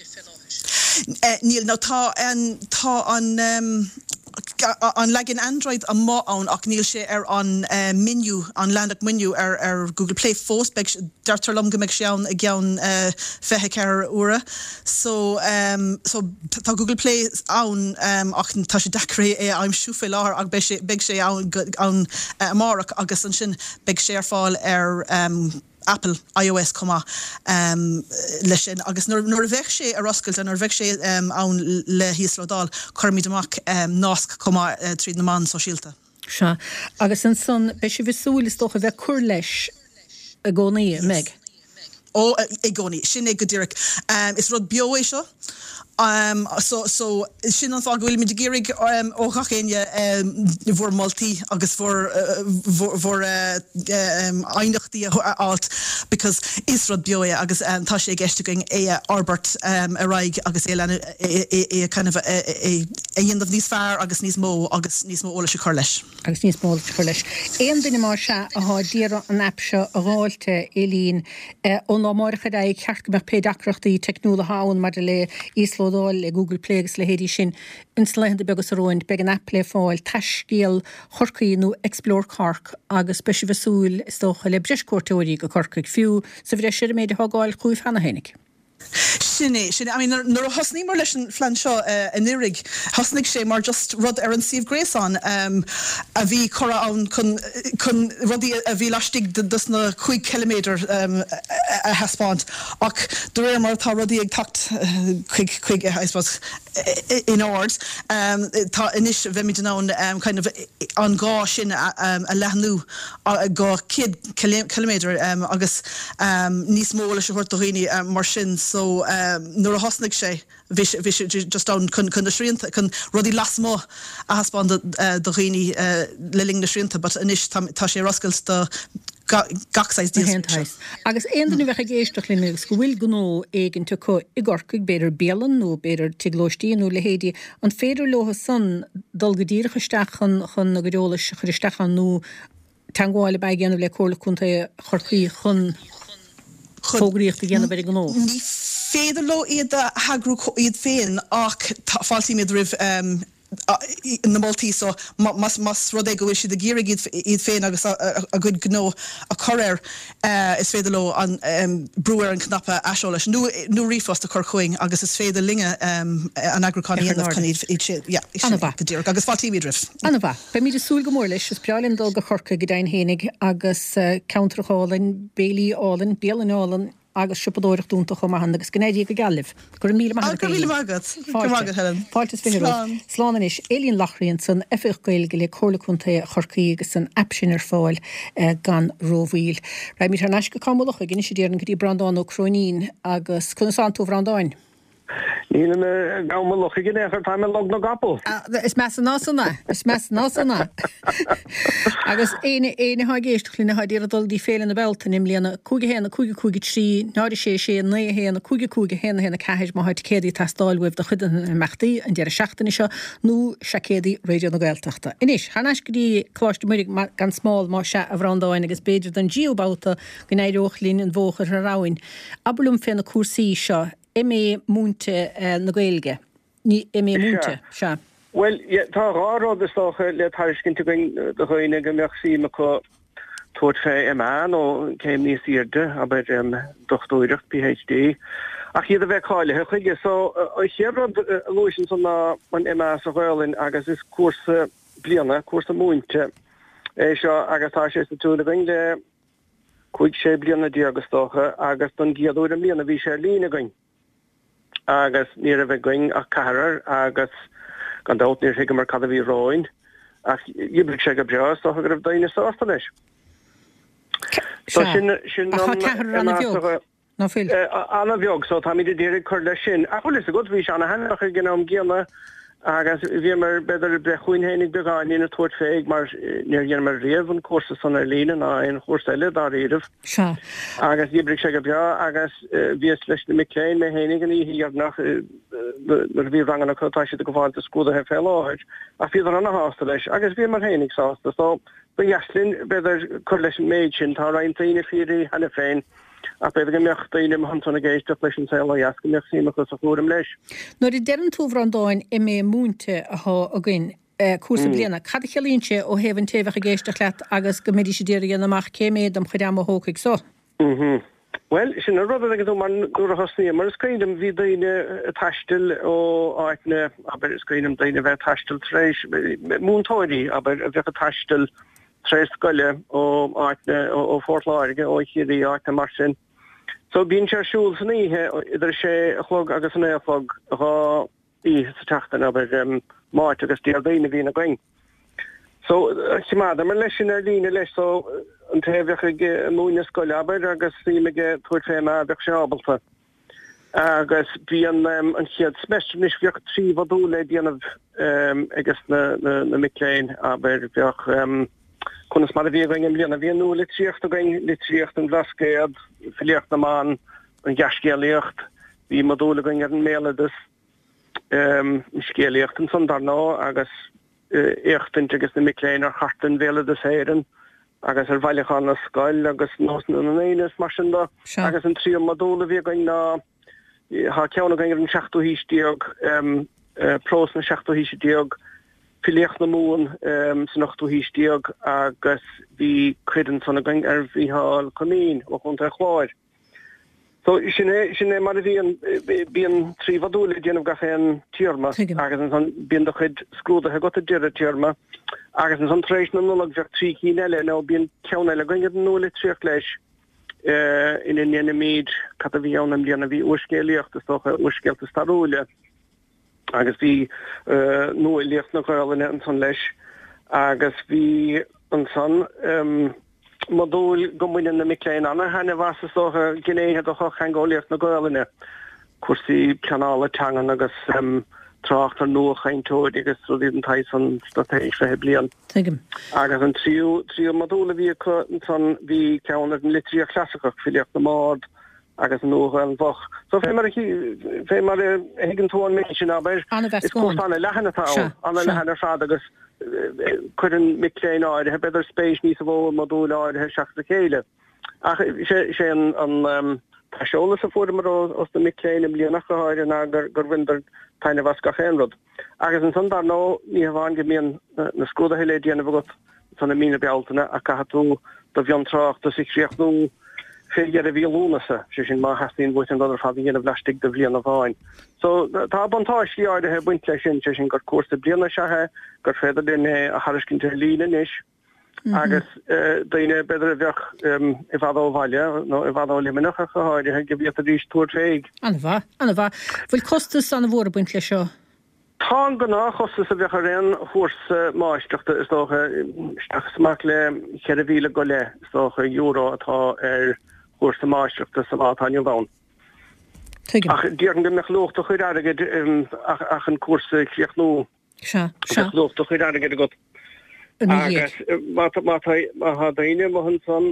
Speaker 4: Níl. Now tá an, tá an, an leagan Android amuigh ann ach níl sé ar an menu, an leathanach menu ar, ar Google Play fós. Beidh, deirtear liom go mbeidh sé ann i gceann 24 uaire. So, so tá Google Play ann ach tá sé deacair é a aimsiú faoi láthair ach beidh sé, beidh sé ann, ann amárach agus ansin beidh sé ar fáil ar Apple iOS chomh maith leis sin agus nuair a bheidh sé ar oscailt nuair a bheidh sé ann le híoslódáil, cuirfimid amach nasc chomh maith tríd na meáin sóisialta.
Speaker 1: Sea. Agus ansan, beidh sibh ag súil, is dócha, a bheith ag cur leis i gcónaí, an mbeidh?
Speaker 4: Ó, i gcónaí. Sin é go díreach. Is rud beo é seo. So, so, sin an fáth go bhfuilimid ag iarraidh ó ghach éinne bhur moltaí agus bhur, bhur aighneachtaí a fháilt because is rud beo é agus tá sé i gceist againn é a fhorbairt ar aghaidh agus é a leanúint, é a kind of, é a dhéanamh níos fearr agus níos mó agus níos mó eolais a chur leis.
Speaker 1: agus níos mó eolais a chur leis. Aon duine más ea athá d'iarraidh an aip seo a dh'fháilt, a Eileen, ón lá amáireach ar aghaidh, ceart go mbeadh pé deacrachtaí teicniúla athá ann maidir le íoslódáil le Google Play agus a leithéidí sin, ins na laethanta beaga seo romhainn, beidh an aip le fáil, Taiscéal Chorcaí nó Explore Cork, agus beidh sibh ag súil, is dócha, le breis cuairteoirí go Corcaigh, fiú sa bhreis ar an méid athá ag gabháil chugaibh cheana fhéinig.
Speaker 4: Sin é, sin é. I mean, nuair a thosnaíomar leis an phlean seo anuraidh, thosnaigh sé mar just rud ar an suíomh gréasáin a bhí curtha ann chun, chun rudaí a bhí laistigh dos na 5 chiliméadar a thaispeáint. Ach de réir mar atá rudaí ag teacht chuig, chuig, I suppose, in ord, tá anois, bheimid in ann kind of an gá sin a leathnú go 100 ciliméadar agus níos mó eolais a thabhairt do dhaoine mar sin so nuair a thosnaigh sé bhí sé bhí sé just ann chun chun na srianta chun rudaí lasmuigh a thaispeáint do do dhaoine le linn na srianta but anois tá tá sé ar oscailt do gach saghas
Speaker 1: díol. Agus aon duine a bheadh ag éisteacht linn agus go bhfuil gnó éigint acu i gCorcaigh, b'fhéidir bialann nó b'fhéidir tigh lóistín nó leithéidí, an féidir leo san dul go díreach isteach chun chun a gcuid eolais a chur isteach ann nó Teagmháil ab ea a dhéanamh le Comhairle Contae Chorcaí chun fógraíocht a dhéanamh ar a ngnó.
Speaker 4: Ní féidir leo iad a eagrú iad féin ach fáiltímid roimh. Na moltaí so, más rud é go bhfuil siad ag iarraidh iad féin agus a gcuid gnó a chur air, is féidir leo brú ar an chnaipe aiseolais nó nó ríomhphost a chur chugainn agus is féidir linne an eagrúchán a dhéanamh chun iad sin, yeah, sin é go díreach agus fáiltímid roimh.
Speaker 1: An-mhaith. Beimid ag súil go mór leis. Is breá linn dul go Corcaigh go deimhin fhéinig agus ceantar álainn, béilí álainn, bialann álainn, agus siopadóireacht iontach chomh maith ann agus go n-éirí go geal libh. Go raibh míle maith agat,
Speaker 4: Go raibh míle maith agat. Go raibh maith agat, Helen.
Speaker 1: Fáilte is 20 romhat.
Speaker 4: Slán.
Speaker 1: Slán anois. Aileen Loughrey ansan, Oifigeach Gaeilge le Comhairle Contae Chorcaí agus an aip sin ar fáil gan rómhoill. Raghaimid thar n-ais go Cam Mhullach anois a déarfainn go dtí Breandán Ó Cróinín agus conas tánn tú a Bhreandáin?
Speaker 3: Nílim i gCam Mullach in aon chor, táim i Log na gCapall.
Speaker 1: Is measa ná san é, is measa ná san é. Agus éinne, éinne atá ag éisteacht linn atá ag iarraidh dul go dtí Féile na Bealtaine i mbliana, 5 1 5 5 3 0 6 6 9 1 5 5 1 1 4 má tá ticéadaí ag teastáil uaibh do chuid de na himeachtaí an deireadh seachtaine seo nó seaicéadaí Raidió na Gaeltachta. Anois, thar n-ais go dtí Coláiste Muire gan Smál más ea a Bhreandáin agus b'fhéidir don dtríú babhta go n-éireodh linn an bhó a chur thar abhainn. Abair liom fé na cúrsaí seo, MA múinte na Gaeilge, ní MA múinte, sea.
Speaker 3: Bhuel, tá dhá rud is dócha le tairiscint againn do dhaoine go mbeadh suim acu tabhairt fé MA nó céim níos airde, abair dochtúireacht, PhD, ach iad a bheith cáilithe chuige. So, an chéad rud a luais ansan ná an MA sa Ghaolainn agus is cúrsa bliana, cúrsa múinte é seo agus tá sé sa tsiúl againn le 15, 16 bliana is dócha, agus don gcéad uair i mbliana bhí sé ar líne againn agus ní raibh againn ach ceathrar agus gan dabht níor thuigeamar cad a bhí romhainn ach d'oibrigh sé go breá, is dócha go raibh daoine sásta leis.
Speaker 1: So sin, sin an, Ach tá ceathrar an-bheag. Ná fuil?
Speaker 3: An-bheag, so táimid ag iarraidh cur leis sin. Ach bhfuil fhios agat, bhí sé ana-thaitneamhach ag an am gcéanna agus bhíomar, b'fhéidir, ag breith chugainn féinig beagáinín ag tabhairt fé mar níor dheineamar riamh an cúrsa san ar líne ná aon chúrsa eile dáiríribh.
Speaker 1: Sea.
Speaker 3: Agus d'oibrigh sé go breá agus bhíos leis na mic léinn, mé féinig an oíche dheireanach nuair a bhí ranganna acu, tá siad ag gabháil do scrúduithe fé láthair, ach bhíodar ana-shásta leis agus bhíomar féinig sásta. So ba dheas linn, b'fhéidir, cur leis an méid sin. Tá roinnt daoine faoi cheana féin. Ach b'fhéidir go mbeadh daoine amuigh ansan ag éisteacht leis an Saol Ó Dheas, go mbeadh suim acu sa chúram leis.
Speaker 1: Nuair a deireann tú, a Bhreandáin, MA múinte atá againn, cúrsa bliana, cad a chiallaíonn sé ó thaobh an té a bheadh ag éisteacht leat agus go mbeidís ag iarraidh a dhéanamh amach cé mhéad dem chuid ama a thógfaidh so?
Speaker 3: Bhuel, sin an rud a dtuigeann tú, mar nuair a thosnaíomar, is cuimhin liom, bhí daoine ag taisteal ó áiteanna, abair, is cuimhin liom daoine a bheith ag taisteal tar éis, múinteoirí, abair, a bheadh ag taisteal tar éis scoile ó áiteanna, ó Phort Láirge, ó Chiarraí, áiteanna mar sin. So bíonn sé ar siúl san oíche idir a sé a chlog agus a naoi a chlog, dhá oíche sa tseachtain, abair, Máirt agus Déardaoin a bhíonn againn. So choimeádamar leis sin ar líne leis, so an té a bheadh ag múineadh scoile, abair, agus suim aige tabhairt fé MA, bheadh sé ábalta. Agus bíonn an chéad semester anois, bheadh trí mhodúl le déanamh ages na mic léinn, abair, bheadh conas mar a bhí againn i mbliana, bhí an nualitríocht againn, litríocht an Bhlascaoid, filíocht na mban, an ghearrscéalaíocht, bhí modúl againn ar an mbéaloideas, an scéalaíocht ansan dar ndóigh agus éachtaint ages na mic léinn ar chartlann Bhéaloideas Éireann agus ar bhailiúchán na scol agus nósanna na ndaoine is mar sin de. Agus an tríú modúl a bhí againn ná, tá ceann againn ar an seachtú haois déag, prós na seachtú haoise déag, filíocht na Mumhan san ochtú haois déag agus bhí cuid ansan againn ar Mhícheál Coimín ó Chontae an Chláir. So, sin é, sin é mar a bhíonn, bíonn trí mhodúl le déanamh gach aon téarma agus ansan bíonn do chuid scrúduithe agat ag deireadh téarma agus ansan tar éis na Nollag bheadh trí cinn eile nó bíonn ceann eile againn ar an nualitríocht leis ina ndéanaimid, cad a bhí ann i mbliana, bhí úrscéalaíocht is dócha, úrscéalta stairiúla. Agus bhí nuafhilíocht na Gaolainne ansan leis agus bhí ansan modúl go mbaineann na mic léinn ana-thaitneamh as, is dócha, gnéithe de shochtheangeolaíocht na Gaolainne, cúrsaí pleanála teangan agus trácht ar nuachainteoirí agus rudaí den tsaghas san straitéis 20 bliain.
Speaker 1: Tuigim.
Speaker 3: Agus an tríú tríú modúl a bhí acu ansan bhí ceann ar an litríocht chlasaiceach, filíocht na mbard, agus an Nua-Ghaelainn Mhoch. So fé mar a fé mar a thuigeann tú an méid sin, abair, is cúrsa ana-leathan atá ann, ana-leathan ar fad agus cuireann mic léinn áirithe, b'fhéidir, spéis níosa mhó i modúil áirithe seachas a chéile. Ach sé sé an an. T-aiseolas a fuaireamar ós na mic léinn i mbliana ach go háirithe ná gur bhaineadar taitneamh as gach aon rud. Agus ansan dar ndóigh ní hamháin go mbíonn na scrúduithe le déanamh agat ansan i mí na Bealtaine ach caithfidh tú do mhiontráchtas a chríochnú fé dheireadh mhí Lúnasa, sé sin má theastaíonn uait an rud ar fad a dhéanamh laistigh de bhliain amháin. So tá buntáistí áirithe ag baint leis sin, sé sin gur cúrsa bliana is ea é, gur féidir linn é a thairiscint ar líne anois. Agus daoine, b'fhéidir, a bheadh i bhfad ó bhaile, nó i bhfad ó Luimneach ach go háirithe, go bhféadfaidís tabhairt fé.
Speaker 1: An-mhaith, an-mhaith. Bhfuil costas an-mhór ag baint leis seo?
Speaker 3: Tá an gnáthchostas a bheadh ar aon chúrsa máistreachta, is dócha, isteach is amach le 4,000 go leith, is dócha, euro atá ar chúrsa máistreachta sa lá atá inniu ann.
Speaker 1: Tuigim.
Speaker 3: Ach déarfainn go mbeadh luach do chuid airgid ach an cúrsa a chríochnú.
Speaker 1: Sea, sea.
Speaker 3: Bheadh luach do chuid airgid agat. Agus má tá daoine amuigh ansan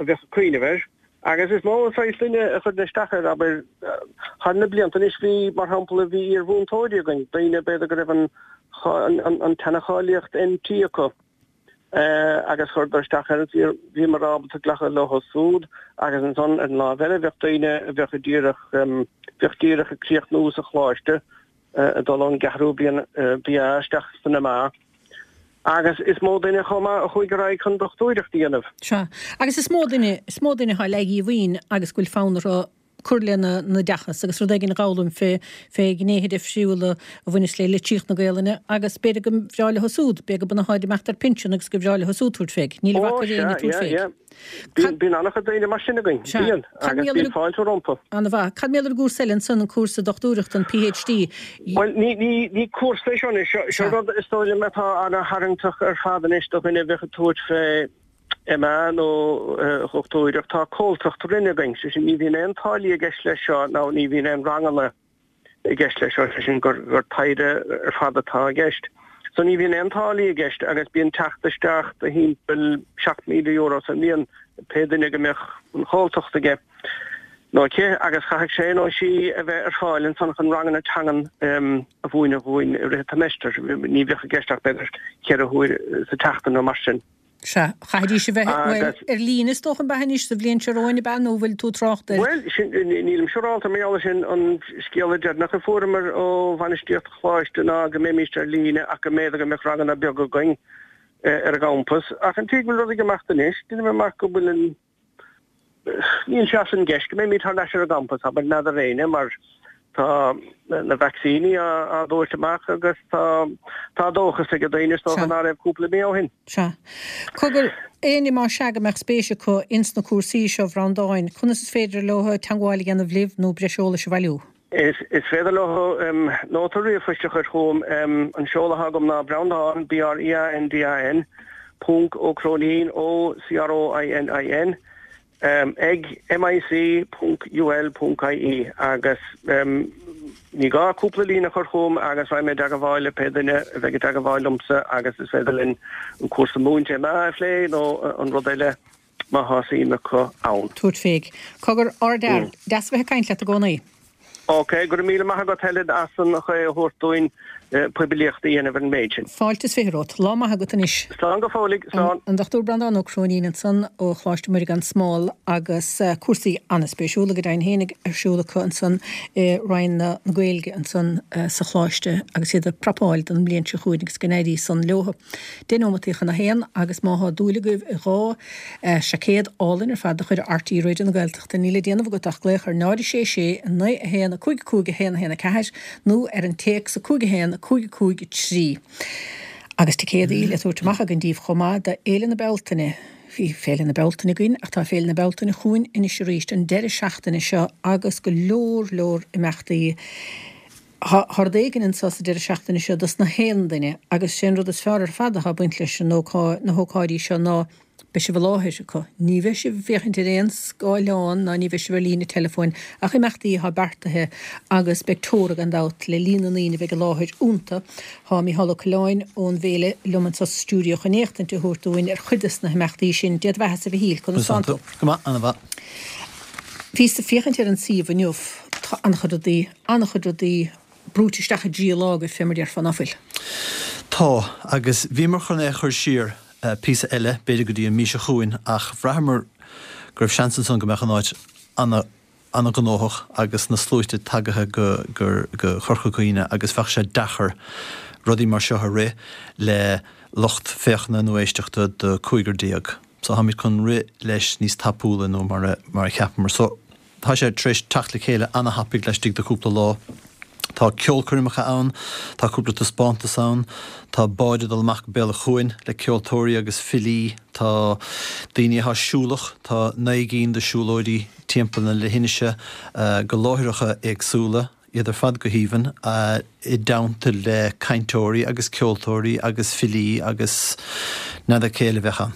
Speaker 3: a bheadh ag cuimhneamh air, agus is mó an saghas duine a chuireann isteach air, abair, thar na blianta anois bhí, mar shampla, bhí iar-mhúinteoirí againn, daoine b'fhéidir go raibh an tseana-cháilíocht NT acu agus chuireadar isteach air, bhíomar ábalta glacadh leo súd agus ansan ar an láimh eile bheadh daoine a bheadh díreach, bheadh díreach ag críochnú sa choláiste ag dul ón gceathrú bliain BA isteach san MA agus is mó duine chomh maith a chuaigh ar aghaidh chun dochtúireacht a dhéanamh.
Speaker 1: Sea. Agus is mó duine, is mó duine atá ag éirí agus go bhfuil fonn orthu cur lena n-oideachas agus rud éigin a dh'fhoghlaim fé, fé ghnéithe difriúla a bhaineas le litríocht na Gaelainne agus b'fhéidir go bhreá leo súd, b'fhéidir go mba atháid ag imeacht ar pinsean agus go bhreá leo súd tabhairt fé. Níl a
Speaker 3: Ó,
Speaker 1: bhac ar
Speaker 3: sea,
Speaker 1: éinne tabhairt
Speaker 3: yeah,
Speaker 1: fé.
Speaker 3: yeah. Bíonn an-chuid daoine mar sin againn.
Speaker 1: Sea.
Speaker 3: Bíonn.
Speaker 1: Cad
Speaker 3: Agus
Speaker 1: mar gheall
Speaker 3: bíonn fáilte rompu.
Speaker 1: An-mhaith. Cad mar gheall ar an gcúrsa eile ansan, an cúrsa dochtúireachta, an PhD?
Speaker 3: Bhuel, ní, ní, ní cúrsa é seo anois. Seo, seo rud is dóigh liom atá ana-tharraingteach ar fad anois do dhuine a bheadh ag tabhairt fé MA nó dhochtúireacht. Tá comhaltacht roinne againn. Sé sin, ní bhíonn aon táillí i gceist leis seo nó ní bhíonn aon ranganna. i gceist leis seo, sé sin gur taighde ar fad atá i gceist. So ní bhíonn aon táillí i gceist agus bíonn teacht isteach de thimpeall €7,000 sa mbliain pé duine go mbeadh an chomhaltacht aige nó aici agus chaithfeadh sé nó sí a bheith ar fáil ansan chun ranganna teangan a mhúineadh dhúinn i rith an tseimeastair. Ní bheadh i gceist ach b'fhéidir cheithre huair sa tseachtain nó mar sin.
Speaker 1: Sea, chaithfidís a bheith, bhuel, ar líne is dócha an b'ea anois sa bhliain seo romhainn, ab ea, nó bhfuil tú ag trácht
Speaker 3: ar. Bhuel, sin, nílim siúrálta mar gheall air sin, an scéala deireanach a fuaireamar ó bhainistíocht an choláiste ná go mbeimíst ar líne ach go mb'fhéidir go mbeadh ranganna beaga againn ar an gcampas. Ach an tslí go bhfuil rudaí ag imeacht anois, deinim amach go bhfuil an. Níl sé as an gceist go mbeimid thar n-ais ar an gcampas, abair, n'fheadar éinne, mar tá na vacsaíní á dtabhairt amach agus tá tá dóchas ag daoine is dócha ná raibh cúpla mí ó shin.
Speaker 1: Sea. Cogar, éinne más ea go mbeadh spéis acu ins na cúrsaí seo, a Bhreandáin, conas is féidir leo teangmháil a dhéanamh libh nó breis eolais a bhailiú?
Speaker 3: Is féidir leo nóta ríomhphoist a chur chugam. An seoladh atá agam ná Breandán, B-R-E-A-N-D-A-N, ponc Ó Cróinín, O-C-R-O-I-N-I-N, ag mic ponc ul ponc ie agus ní gá cúpla líne a chur chugam agus raghaidh mé i dteagmháil le pé duine a bheidh i dteagmháil liomsa agus is féidir linn an cúrsa múinte MA a phlé nó an rud eile. má thá suim acu ann.
Speaker 1: Tabhairt fé. Cogar, ardfhear, deas a bheith ag caint leat i gcónaí.
Speaker 3: Ok, go raibh míle maith agat Helen as an chaoi a thabhairt dúinn poiblíocht a dhéanamh ar an méid sin.
Speaker 1: Fáilte is 20 romhat. Lá maith agat anois.
Speaker 3: Slán go fóilligh, slán.
Speaker 1: An Dr Breandán Ó Cróinín ansan ó Choláiste Muire gan Smál agus cúrsaí an-spéisiúla go deimhin féinig ar siúl acu ansan i Roinn na Gaeilge ansan sa Choláiste agus iad ag prapáil don mbliain seo chugainn agus go n-éirí san leo. 10 nóimeataí chun a haon agus má thá dúil agaibh i 2 seaicéad álainn ar fad de chuid RTÉ Raidió na Gaeltachta níl le déanamh agat ach glaoch ar 0 6 6 9 1 5 5 1 1 4 nó ar an téacs 5 1 5 5 3. Agus ticéadaí le tabhairt amach againn díbh chomh maith do Fhéile na Bealtaine. Bhí Féile na Bealtaine againn ach tá Féile na Bealtaine chugainn anois arís an deireadh seachtaine seo agus go leor leor imeachtaí. Thá rud éigin anso sa deireadh seachtaine seo dos na haon duine agus sé an rud is fearr ar fad athá ag baint leis an ócáid, na hócáidí seo ná beidh sibh i láthair acu. Ní bheidh sibh ag féachaint ar aon scáileán ná ní bheidh sibh ar líne teileafóin ach imeachtaí athá beartaithe agus beidh teora gan dabht le líon na ndaoine a bheidh i láthair iontu. Thá Mícheál Ó Coileáin ón bhféile liom anso sa stiúideo chun éachtaint a thabhairt dúinn ar chuid des na himeachtaí sin. Dé do bheathasa a Mhichíl, conas tánn tú?
Speaker 2: Go maith, ana-mhaith.
Speaker 1: Bhíos ag féachaint ar an suíomh inniu, tá an-chuid rudaí. An-chuid rudaí brúite isteach i dtrí lá agaibh, fé mar déarfá, ná fuil?
Speaker 5: Tá, agus bhíomar chun é a chur siar píosa eile, b'fhéidir go dtí an mhí seo chugainn, ach bhraitheamar go raibh seans ansan go mbeadh an áit ana. an-ghnóthach agus na sluaite tagaithe go go Corca Dhuibhne agus bheadh sé deacair rudaí mar seo a rith le lucht féachana nó éisteachta de 15. So táimid chun rith leis níos tapúla nó mar a mar a cheapamar. So tá sé tar éis teacht le chéile an-thapaidh laistigh de chúpla lá. Tá ceolchoirmeacha ann, tá cúpla taispeántas ann, tá báid ag dul amach go Béal an Chuain le ceoltóirí agus filí, tá daoine atá siúlach, tá 9 gcinn de siúlóidí timpeall na leithinise go láithreacha éagsúla, iad ar fad go haoibhinn, i dteannta le cainteoirí agus ceoltóirí agus filí agus n'fheadar cé eile a bheadh ann.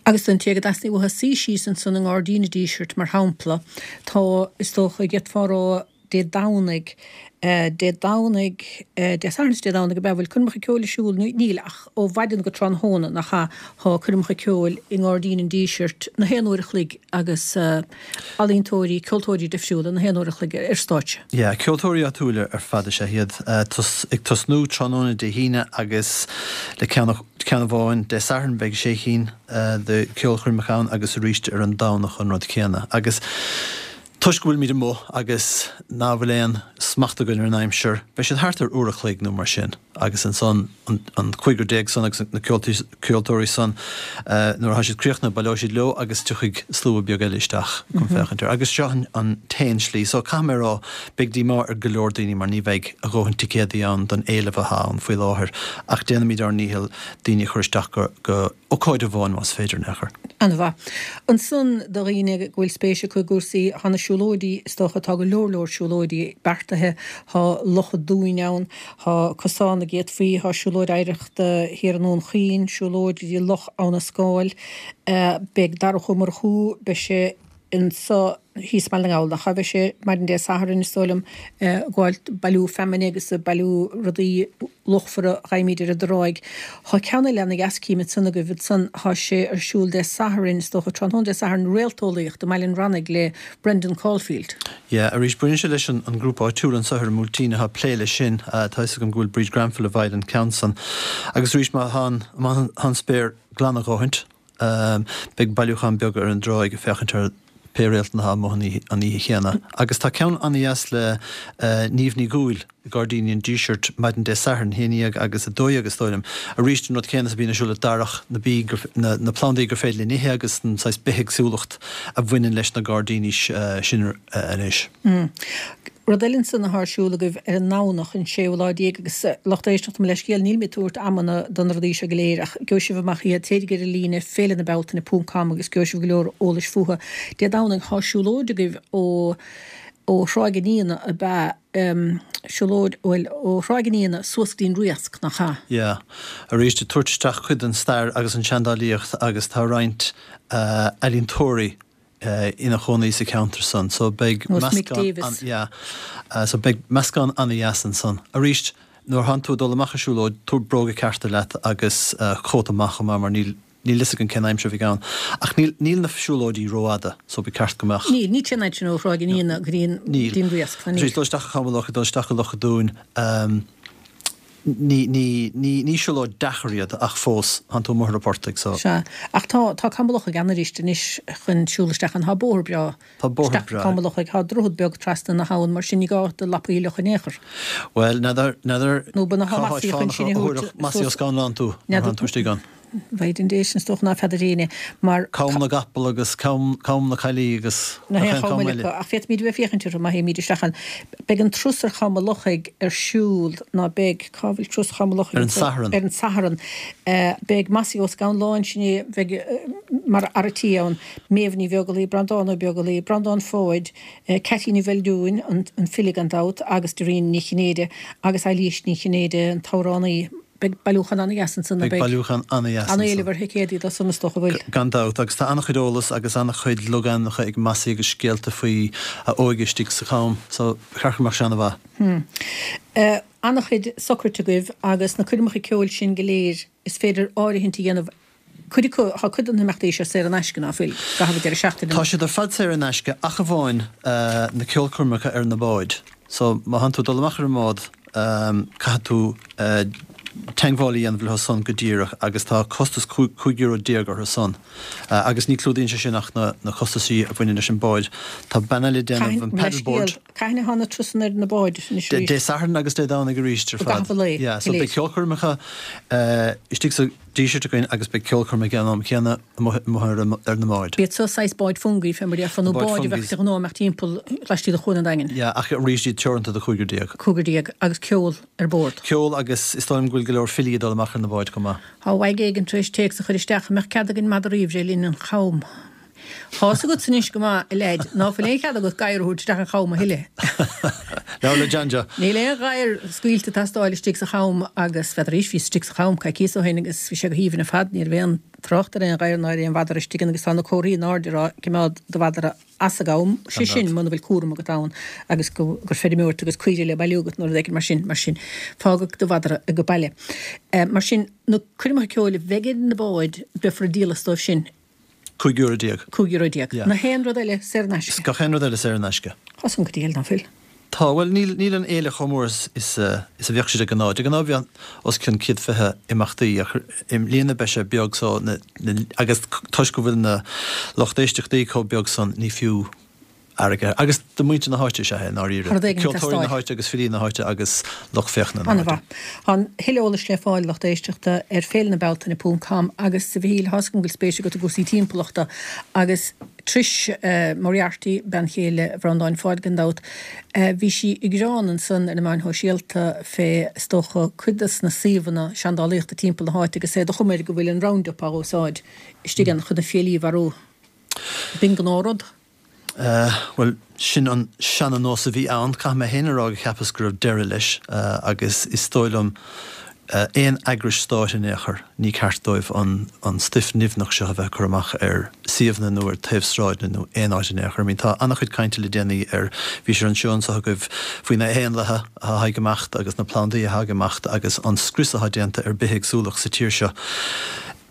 Speaker 1: Agus don té go dteastaíonn uathu suí síos ansan i nGairdín an Dísirt, mar shampla, tá, is dócha, d'fhéadfá a rá, Dé Domhnaigh, Dé Domhnaigh, Dé Sathairn is Dé Domhnaigh ab ea, bhfuil coirmeacha ceoil ar siúl? Níl, ach ó mhaidin go tráthnóna, nach ea, tá coirmeacha ceoil i nGairdín an Dísirt na haon uair a chloig agus ealaíontóirí, ceoltóirí difriúla na haon uair a chloig ar stáitse.
Speaker 5: Yeah, ceoltóirí áitiúla ar fad is ea iad, ag tosnú tráthnóna Dé hAoine agus le ceann ceann amháin Dé Sathairn beidh sé chinn de cheolchoirmeacha ann agus arís ar an Domhnach an rud céanna. Agus toisc go bhfuilimid amuigh agus ná bhfuil aon smacht againn ar an aimsir, beidh siad thart ar uair a chloig nó mar sin agus ansan an 15 san agus na ceoltóirí san nuair atá siad críochnaithe baileoidh siad leo agus tiocfaidh slua beag eile isteach chun féachaint air. Agus seo an t-aon slí. So caithfidh mé a rá, beidh díomá ar go leor daoine mar ní bheidh a dhóthain ticéadaí ann don éileamh atá ann faoi láthair ach déanfaimid ár ndícheall daoine a chur isteach go go ócáid amháin más féidir in aon chor.
Speaker 1: An-mhaith. Ansan do dhaoine go bhfuil spéis acu i gcúrsaí, thá na siúlóidí, is dócha, tá go leor leor siúlóidí beartaithe, thá Loch an Dúin ann, thá cosán a d'fhéadfaí, thá siúlóid oidhreachta thiar i nDún Chaoin, siúlóid go dtí Loch Abhna Scáil, beidh Darach Ó Murchú, beidh sé anso thíos i mBaile na nGall, nach ea? Beidh sé maidin Dé Sathairn, is dóigh liom, ag gabháil bailiú feamainne agus ag bailiú rudaí luachmhara a gheibhimid ar an dtráigh. Thá ceann eile ana dheas cím ansan agaibh ansan, thá sé ar siúl Dé Sathairn, is dócha, tráthnóna Dé Sathairn, réalteolaíocht i mBaile an Rannaigh le Brendan Caulfield.
Speaker 5: Yeah, arís, baineann sé leis an ngrúpa áitiúil anso ar an mBuailtín atá ag plé leis sin. Tá fhios agam go bhfuil Bríd Granville i bhfeighil an ceann san. Agus arís, má thá an spéir glan a dhóthaint, Beidh bailiúchán beag ar an dtráigh ag féachaint ar pé réalta atá amuigh an oíche chéanna. Agus tá ceann an-dheas le Niamh Ní Dhúill i Gairdíní an Dísirt maidin Dé Sathairn, 11 agus 12 is dóigh liom. Arís an rud céanna is a bhíonn ar siúl le Darach, na bí, na plandaí gur féidir linn ithe agus an saghas bithéagsúlacht a bhaineann leis na gairdíní sin anois.
Speaker 1: Rud eile ansan athá ar siúl agaibh ar an nDomhnach, an séú lá déag, agus lucht éisteachta mo leithscéal, níl mé ag tabhairt amanna do na rudaí seo go léir ach gheobhaidh sibh amach iad, téiríg ar an líne, féile na Bealtaine ponc com agus gheobhaidh sibh go leor eolais fúthu. Dé Domhnaigh thá siúlóid agaibh ó ó Thráigh an Fhíona ab ea, siúlóid, bhuel, ó Thráigh an Fhíona suas go dtí an Riasc, nach ea?
Speaker 5: Yeah. Arís, ag tabhairt isteach cuid den stair agus an seandálaíocht agus tá roinnt ealaíontóirí ina chónaí sa cheantar san so beidh meascán an yeah so beidh meascán an-dheas ansan. Arís nuair a thánn tú ag dul amach ar siúlóid tabhair bróga cearta leat agus cóta maith chomh maith mar níl níl fhios againn cén aimsir a bheidh ann. Ach níl níl na siúlóidí rófhada so ba cheart go mbeadh
Speaker 1: Níl, ní téann siad sin ó Thráigh an Fhíona go dtí an
Speaker 5: Níl.
Speaker 1: dtí an Riasc,
Speaker 5: ná níl. Tar éis dul isteach go Cam an Lochaigh, dul isteach go Loch an Dúin, Ní, ní, ní, ní siúlóid deacair iad ach fós, thánn tú amuigh ar an portaigh so.
Speaker 1: Sea. Ach tá, tá Cam an Lochaigh an-fhuirist anois chun siúl isteach ann. Tá bóthar breá
Speaker 5: Tá bóthar
Speaker 1: isteach
Speaker 5: breá.
Speaker 1: Cam an Lochaigh. Tá droichead beag trasna na habhann, mar sin ní gá do lapaí a fhliuchadh in aon chor.
Speaker 5: Bhuel, n'fheadar, n'fheadar
Speaker 1: Nó ba na
Speaker 5: cá háit
Speaker 1: Mossy chun
Speaker 5: fánach
Speaker 1: sin
Speaker 5: a
Speaker 1: a thabhairt
Speaker 5: thabharfadh Mossy Ó
Speaker 1: suas.
Speaker 5: Scanláin tú nuair
Speaker 1: N'fheadar.
Speaker 5: thánn tú istigh ann.
Speaker 1: Mhaidin Dé sin is dócha ná feadar éinne mar.
Speaker 5: Cam na gCapall agus Cam na Caillí agus
Speaker 1: Na
Speaker 5: nach
Speaker 1: haon
Speaker 5: aon
Speaker 1: cham
Speaker 5: cham
Speaker 1: eile
Speaker 5: eile.
Speaker 1: acu, ach féadfaimid a bheith ag féachaint orthu má théimid isteach ann. Beidh an turas ar Cham an Lochaigh ar siúl, ná beidh, cá bhfuil turas Cham an Lochaigh
Speaker 5: Ar an Satharn.
Speaker 1: Ar an Satharn. Beidh Mossy Ó Scanláin, sin é, bheidh mar fhear a' tí ann, Méabh Ní Bheaglaoí, Breandán Ó Beaglaoí, Breandán Pháid, Ceaití Ní Bheildiúin, an file gan dabht, agus Doreen Ní Chinnéide agus Eilís Ní Chinnéide, an t-amhránaí. Beidh bailiúchán an-dheas ansan,
Speaker 5: ná
Speaker 1: beidh?
Speaker 5: Beidh bailiúchán an-dheas ansan.
Speaker 1: An-éileamh ar thicéadaí dó san is dócha, bhfuil?
Speaker 5: Gan dabht, agus tá an-chuid eolas agus an-chuid logainmneacha ag Mossy agus scéalta faoi a óige istigh sa Cham, so ba cheart go mbeadh sé an-mhaith.
Speaker 1: Hmm. An-chuid socraithe agaibh agus na coirmeacha ceoil sin go léir, is féidir áirithint a dhéanamh Cuid acu, tá cuid de na himeachtaí seo saor in aisce, ná fuil, i gcaitheamh an deireadh seachtaine.
Speaker 5: Tá siad ar fad saor in aisce ach amháin na ceolchoirmeacha ar na báid. So má thánn tú ag dul amach ar an mbád caithfidh tú. teagmháil a dhéanamh leo san go díreach agus tá costas €15 euro orthu san agus ní clúdaíonn sé sin ach na costaisí a bhaineann leis an bád. Tá bean eile ag déanamh an paddleboard.
Speaker 1: Cathain atá na turasanna ar na báid
Speaker 5: anois arís? Dé Sathairn agus Dé Domhnaigh arís ar
Speaker 1: fad. I gcaitheamh an lae,
Speaker 5: Yeah, so beidh ceolchoirmeacha istigh sa Díseart againn agus beidh ceolchoirm ag an am céanna amuigh ar na báid.
Speaker 1: B'iad seo saghas báid fungaí, fé mar a déarfá, nó báid a bheadh de ghnáth ag imeacht timpeall laistigh de Chuan an Daingin.
Speaker 5: Yeah, ach arís iad teoranta do chúigear déag.
Speaker 1: Cúigear déag, agus ceol ar bord.
Speaker 5: Ceol agus is dóigh liom go bhfuil go leor filí ag dul amach ar na báid chomh maith.
Speaker 1: Tá uaidh éigin tar éis téacs a chur isteach, an mbeadh cead againn madraí a bhreith linn an Cham? Tá's agatsa anois go maith, a leaid, ná fuil aon chead agat gadhar a thabhairt isteach an Cham a thuilleadh.
Speaker 5: Labhair le John Joe.
Speaker 1: Níl aon ghadhar scaoilte ag teastáil istigh sa Cham agus n'fheadar bhíos istigh sa Cham coicíos ó shin agus bhí sé go haoibhinn ar fad, ní raibh aon trácht ar aon ghadhar ná ar aon mhadra istigh ann agus tá na comharthaí in airde ag rá cimeád do mhadra as an gCam, sé sin muna bhfuil cúram agat ann agus gur feirmeoir tú agus caoirigh le bailiú agat nó rud éigin mar sin, mar sin fágadh do mhadra ag baile. Mar sin, na coirmeacha ceoil a bheidh ar na báid, beifear ag díol as dóibh sin.
Speaker 5: €15 euro.
Speaker 1: €15 euro. Yeah. Na haon rud eile saor in aisce.
Speaker 5: Gach aon rud eile saor in aisce.
Speaker 1: Tá san go diail, ná fuil?
Speaker 5: Tá, bhuel níl, níl an fhéile chomh mór is, is, is a bheadh sé de ghnáth. De ghnáth bheadh os cionn 120 imeachtaí ach i mbliana beidh sé beag so na, na, agus toisc go bhfuil na lucht éisteachtaí chomh beag san ní fiú airgead. Agus do mhuintir na háite is ea é, i ndáiríre.
Speaker 1: Rud éigin ag
Speaker 5: Ceoltóirí na háite agus filí na háite agus lucht féachana na háite.
Speaker 1: An-mhaith. Tá a thuilleadh eolais le fáil, lucht éisteachta, ar féilenabealtaine ponc com agus, a Mhichíl, tá's agam go bhfuil spéis agat i gcúrsaí timpeallachta agus Trish Moriarty, bean chéile Bhreandáin Pháid gan dabht, bhí sí ag gearán ansan ar na meáin shóisialta fé, is dócha, cuid des na suíomhanna seandálaíochta timpeall na háite agus é de chuma air go bhfuil an Roundup á úsáid istigh ann chun na fiailí a mharú. B'in gnáthrud.
Speaker 5: Bhuel, sin an seana-nós a bhí ann. Caithfidh mé féin a rá gur cheapas go raibh deireadh leis agus is dóigh liom aon eagrais stáit in aon chor, ní ceart dóibh an stuif nimhneach seo a bheith ag cur amach ar suíomhanna nó ar taobh sráideanna nó aon áit in aon chor. I mean tá an-chuid cainte le déanaí ar, bhí sé ar an seó anseo agaibh, faoi na héanlaithe atá ag imeacht agus na plandaí atá ag imeacht agus an scrios atá déanta ar bithéagsúlacht sa tír seo.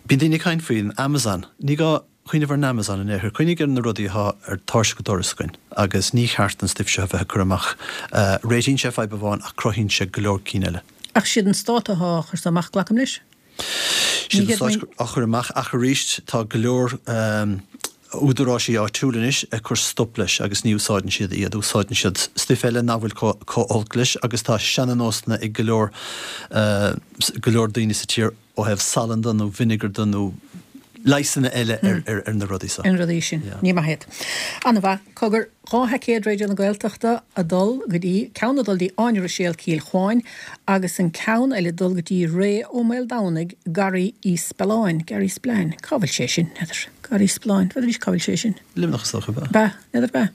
Speaker 5: Bíonn daoine ag caint faoin Amazon. Ní gá cuimhneamh ar an Amazon in aon chor. Cuimhnigh ar na rudaí atá ar tairseach an dorais againn agus ní cheart an stuif seo a bheith ag cur amach. Réitíonn sé fadhb amháin ach cruthaíonn sé go leor cinn eile.
Speaker 1: Ach siad an stát atá á chur amach, glacaim leis?
Speaker 5: Siad an stát á chur amach ach arís tá go leor údaráisí áitiúil anois ag cur stop leis agus ní úsáideann siad iad. Úsáideann siad stuif eile nach bhfuil chomh holc leis agus tá seana-nósanna ag go leor go leor daoine sa tír ó thaobh salann de nó vinegar de nó leigheasanna eile ar na rudaí
Speaker 1: seo. Ar na rudaí sin. Ní maith iad. An-mhaith. Cogar, 2 theaicéad Raidió na Gaeltachta ag dul go dtí, ceann ag dul dtí Áine Ruiséal Cill Chuáin agus an ceann eile ag dul go dtí Ray Ó Maoldomhnaigh, Garraí Uí Spealáin, Garraí Spillane. Cá bhfuil sé sin? N'fheadar. Garraí Spealáin. N'fheadar arís cá bhfuil sé sin.
Speaker 5: Luimneach is dócha,
Speaker 1: ab ea? Ab ea? N'fheadar ab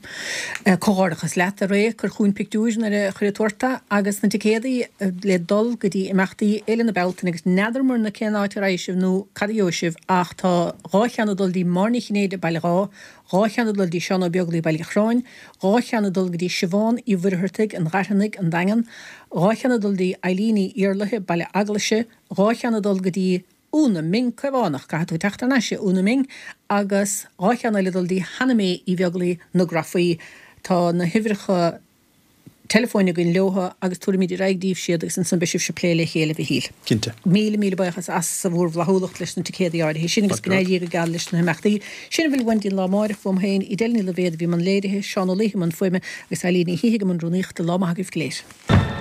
Speaker 1: ea? Comhghairdeachas leat, a Ray, cuir chugainn pictiúir nuair a chuirfidh tú ort é, agus na ticéadaí le dul go dtí imeachtaí Fhéile na Bealtaine agus n'fheadar muirne cén áit a raghaidh sibh nó cad a gheobhaidh sibh ach tá 2 cheann ag dul dtí Máire Ní Chinnéide, Baile Dháith, 2 cheann ag dul dtí Seán Ó Beaglaoi, Baile Chorráin, 2 cheann ag dul go dtí Siobhán Uí Mhuircheartaigh, An Ghairfeanaigh, An Daingean, 2 cheann ag dul dtí Eileen Uí Iarlaithe, Baile Eaglaise, 2 cheann ag dul go dtí Úna Ming Caomhánach, caithfidh tú teacht thar n-ais, a Úna Ming, agus 2 cheann eile ag dul dtí Hannah May Uí Bheaglaoi, Na Grafaí. Tá na huimhreacha teileafóin againn leotha agus tabharfaimid ar aghaidh daoibh iad agus ansan beidh sibhse ag plé le chéile, a Mhichíl.
Speaker 5: Cinnte.
Speaker 1: Míle, míle buíochas as bhur bhflaithiúlacht leis na ticéadaí áirithe sin agus go n-éirí go geal leis na himeachtaí. Sin a bhfuil uainn dtí an lá amáireach, uaim féin, Edel Ní Loibhéad a bhí i mbun léirithe, Seán Ó Laoithe i mbun fuaime agus Eileen Ní Shíthigh i mbun rúnaíochta. Lá maith agaibh go léir.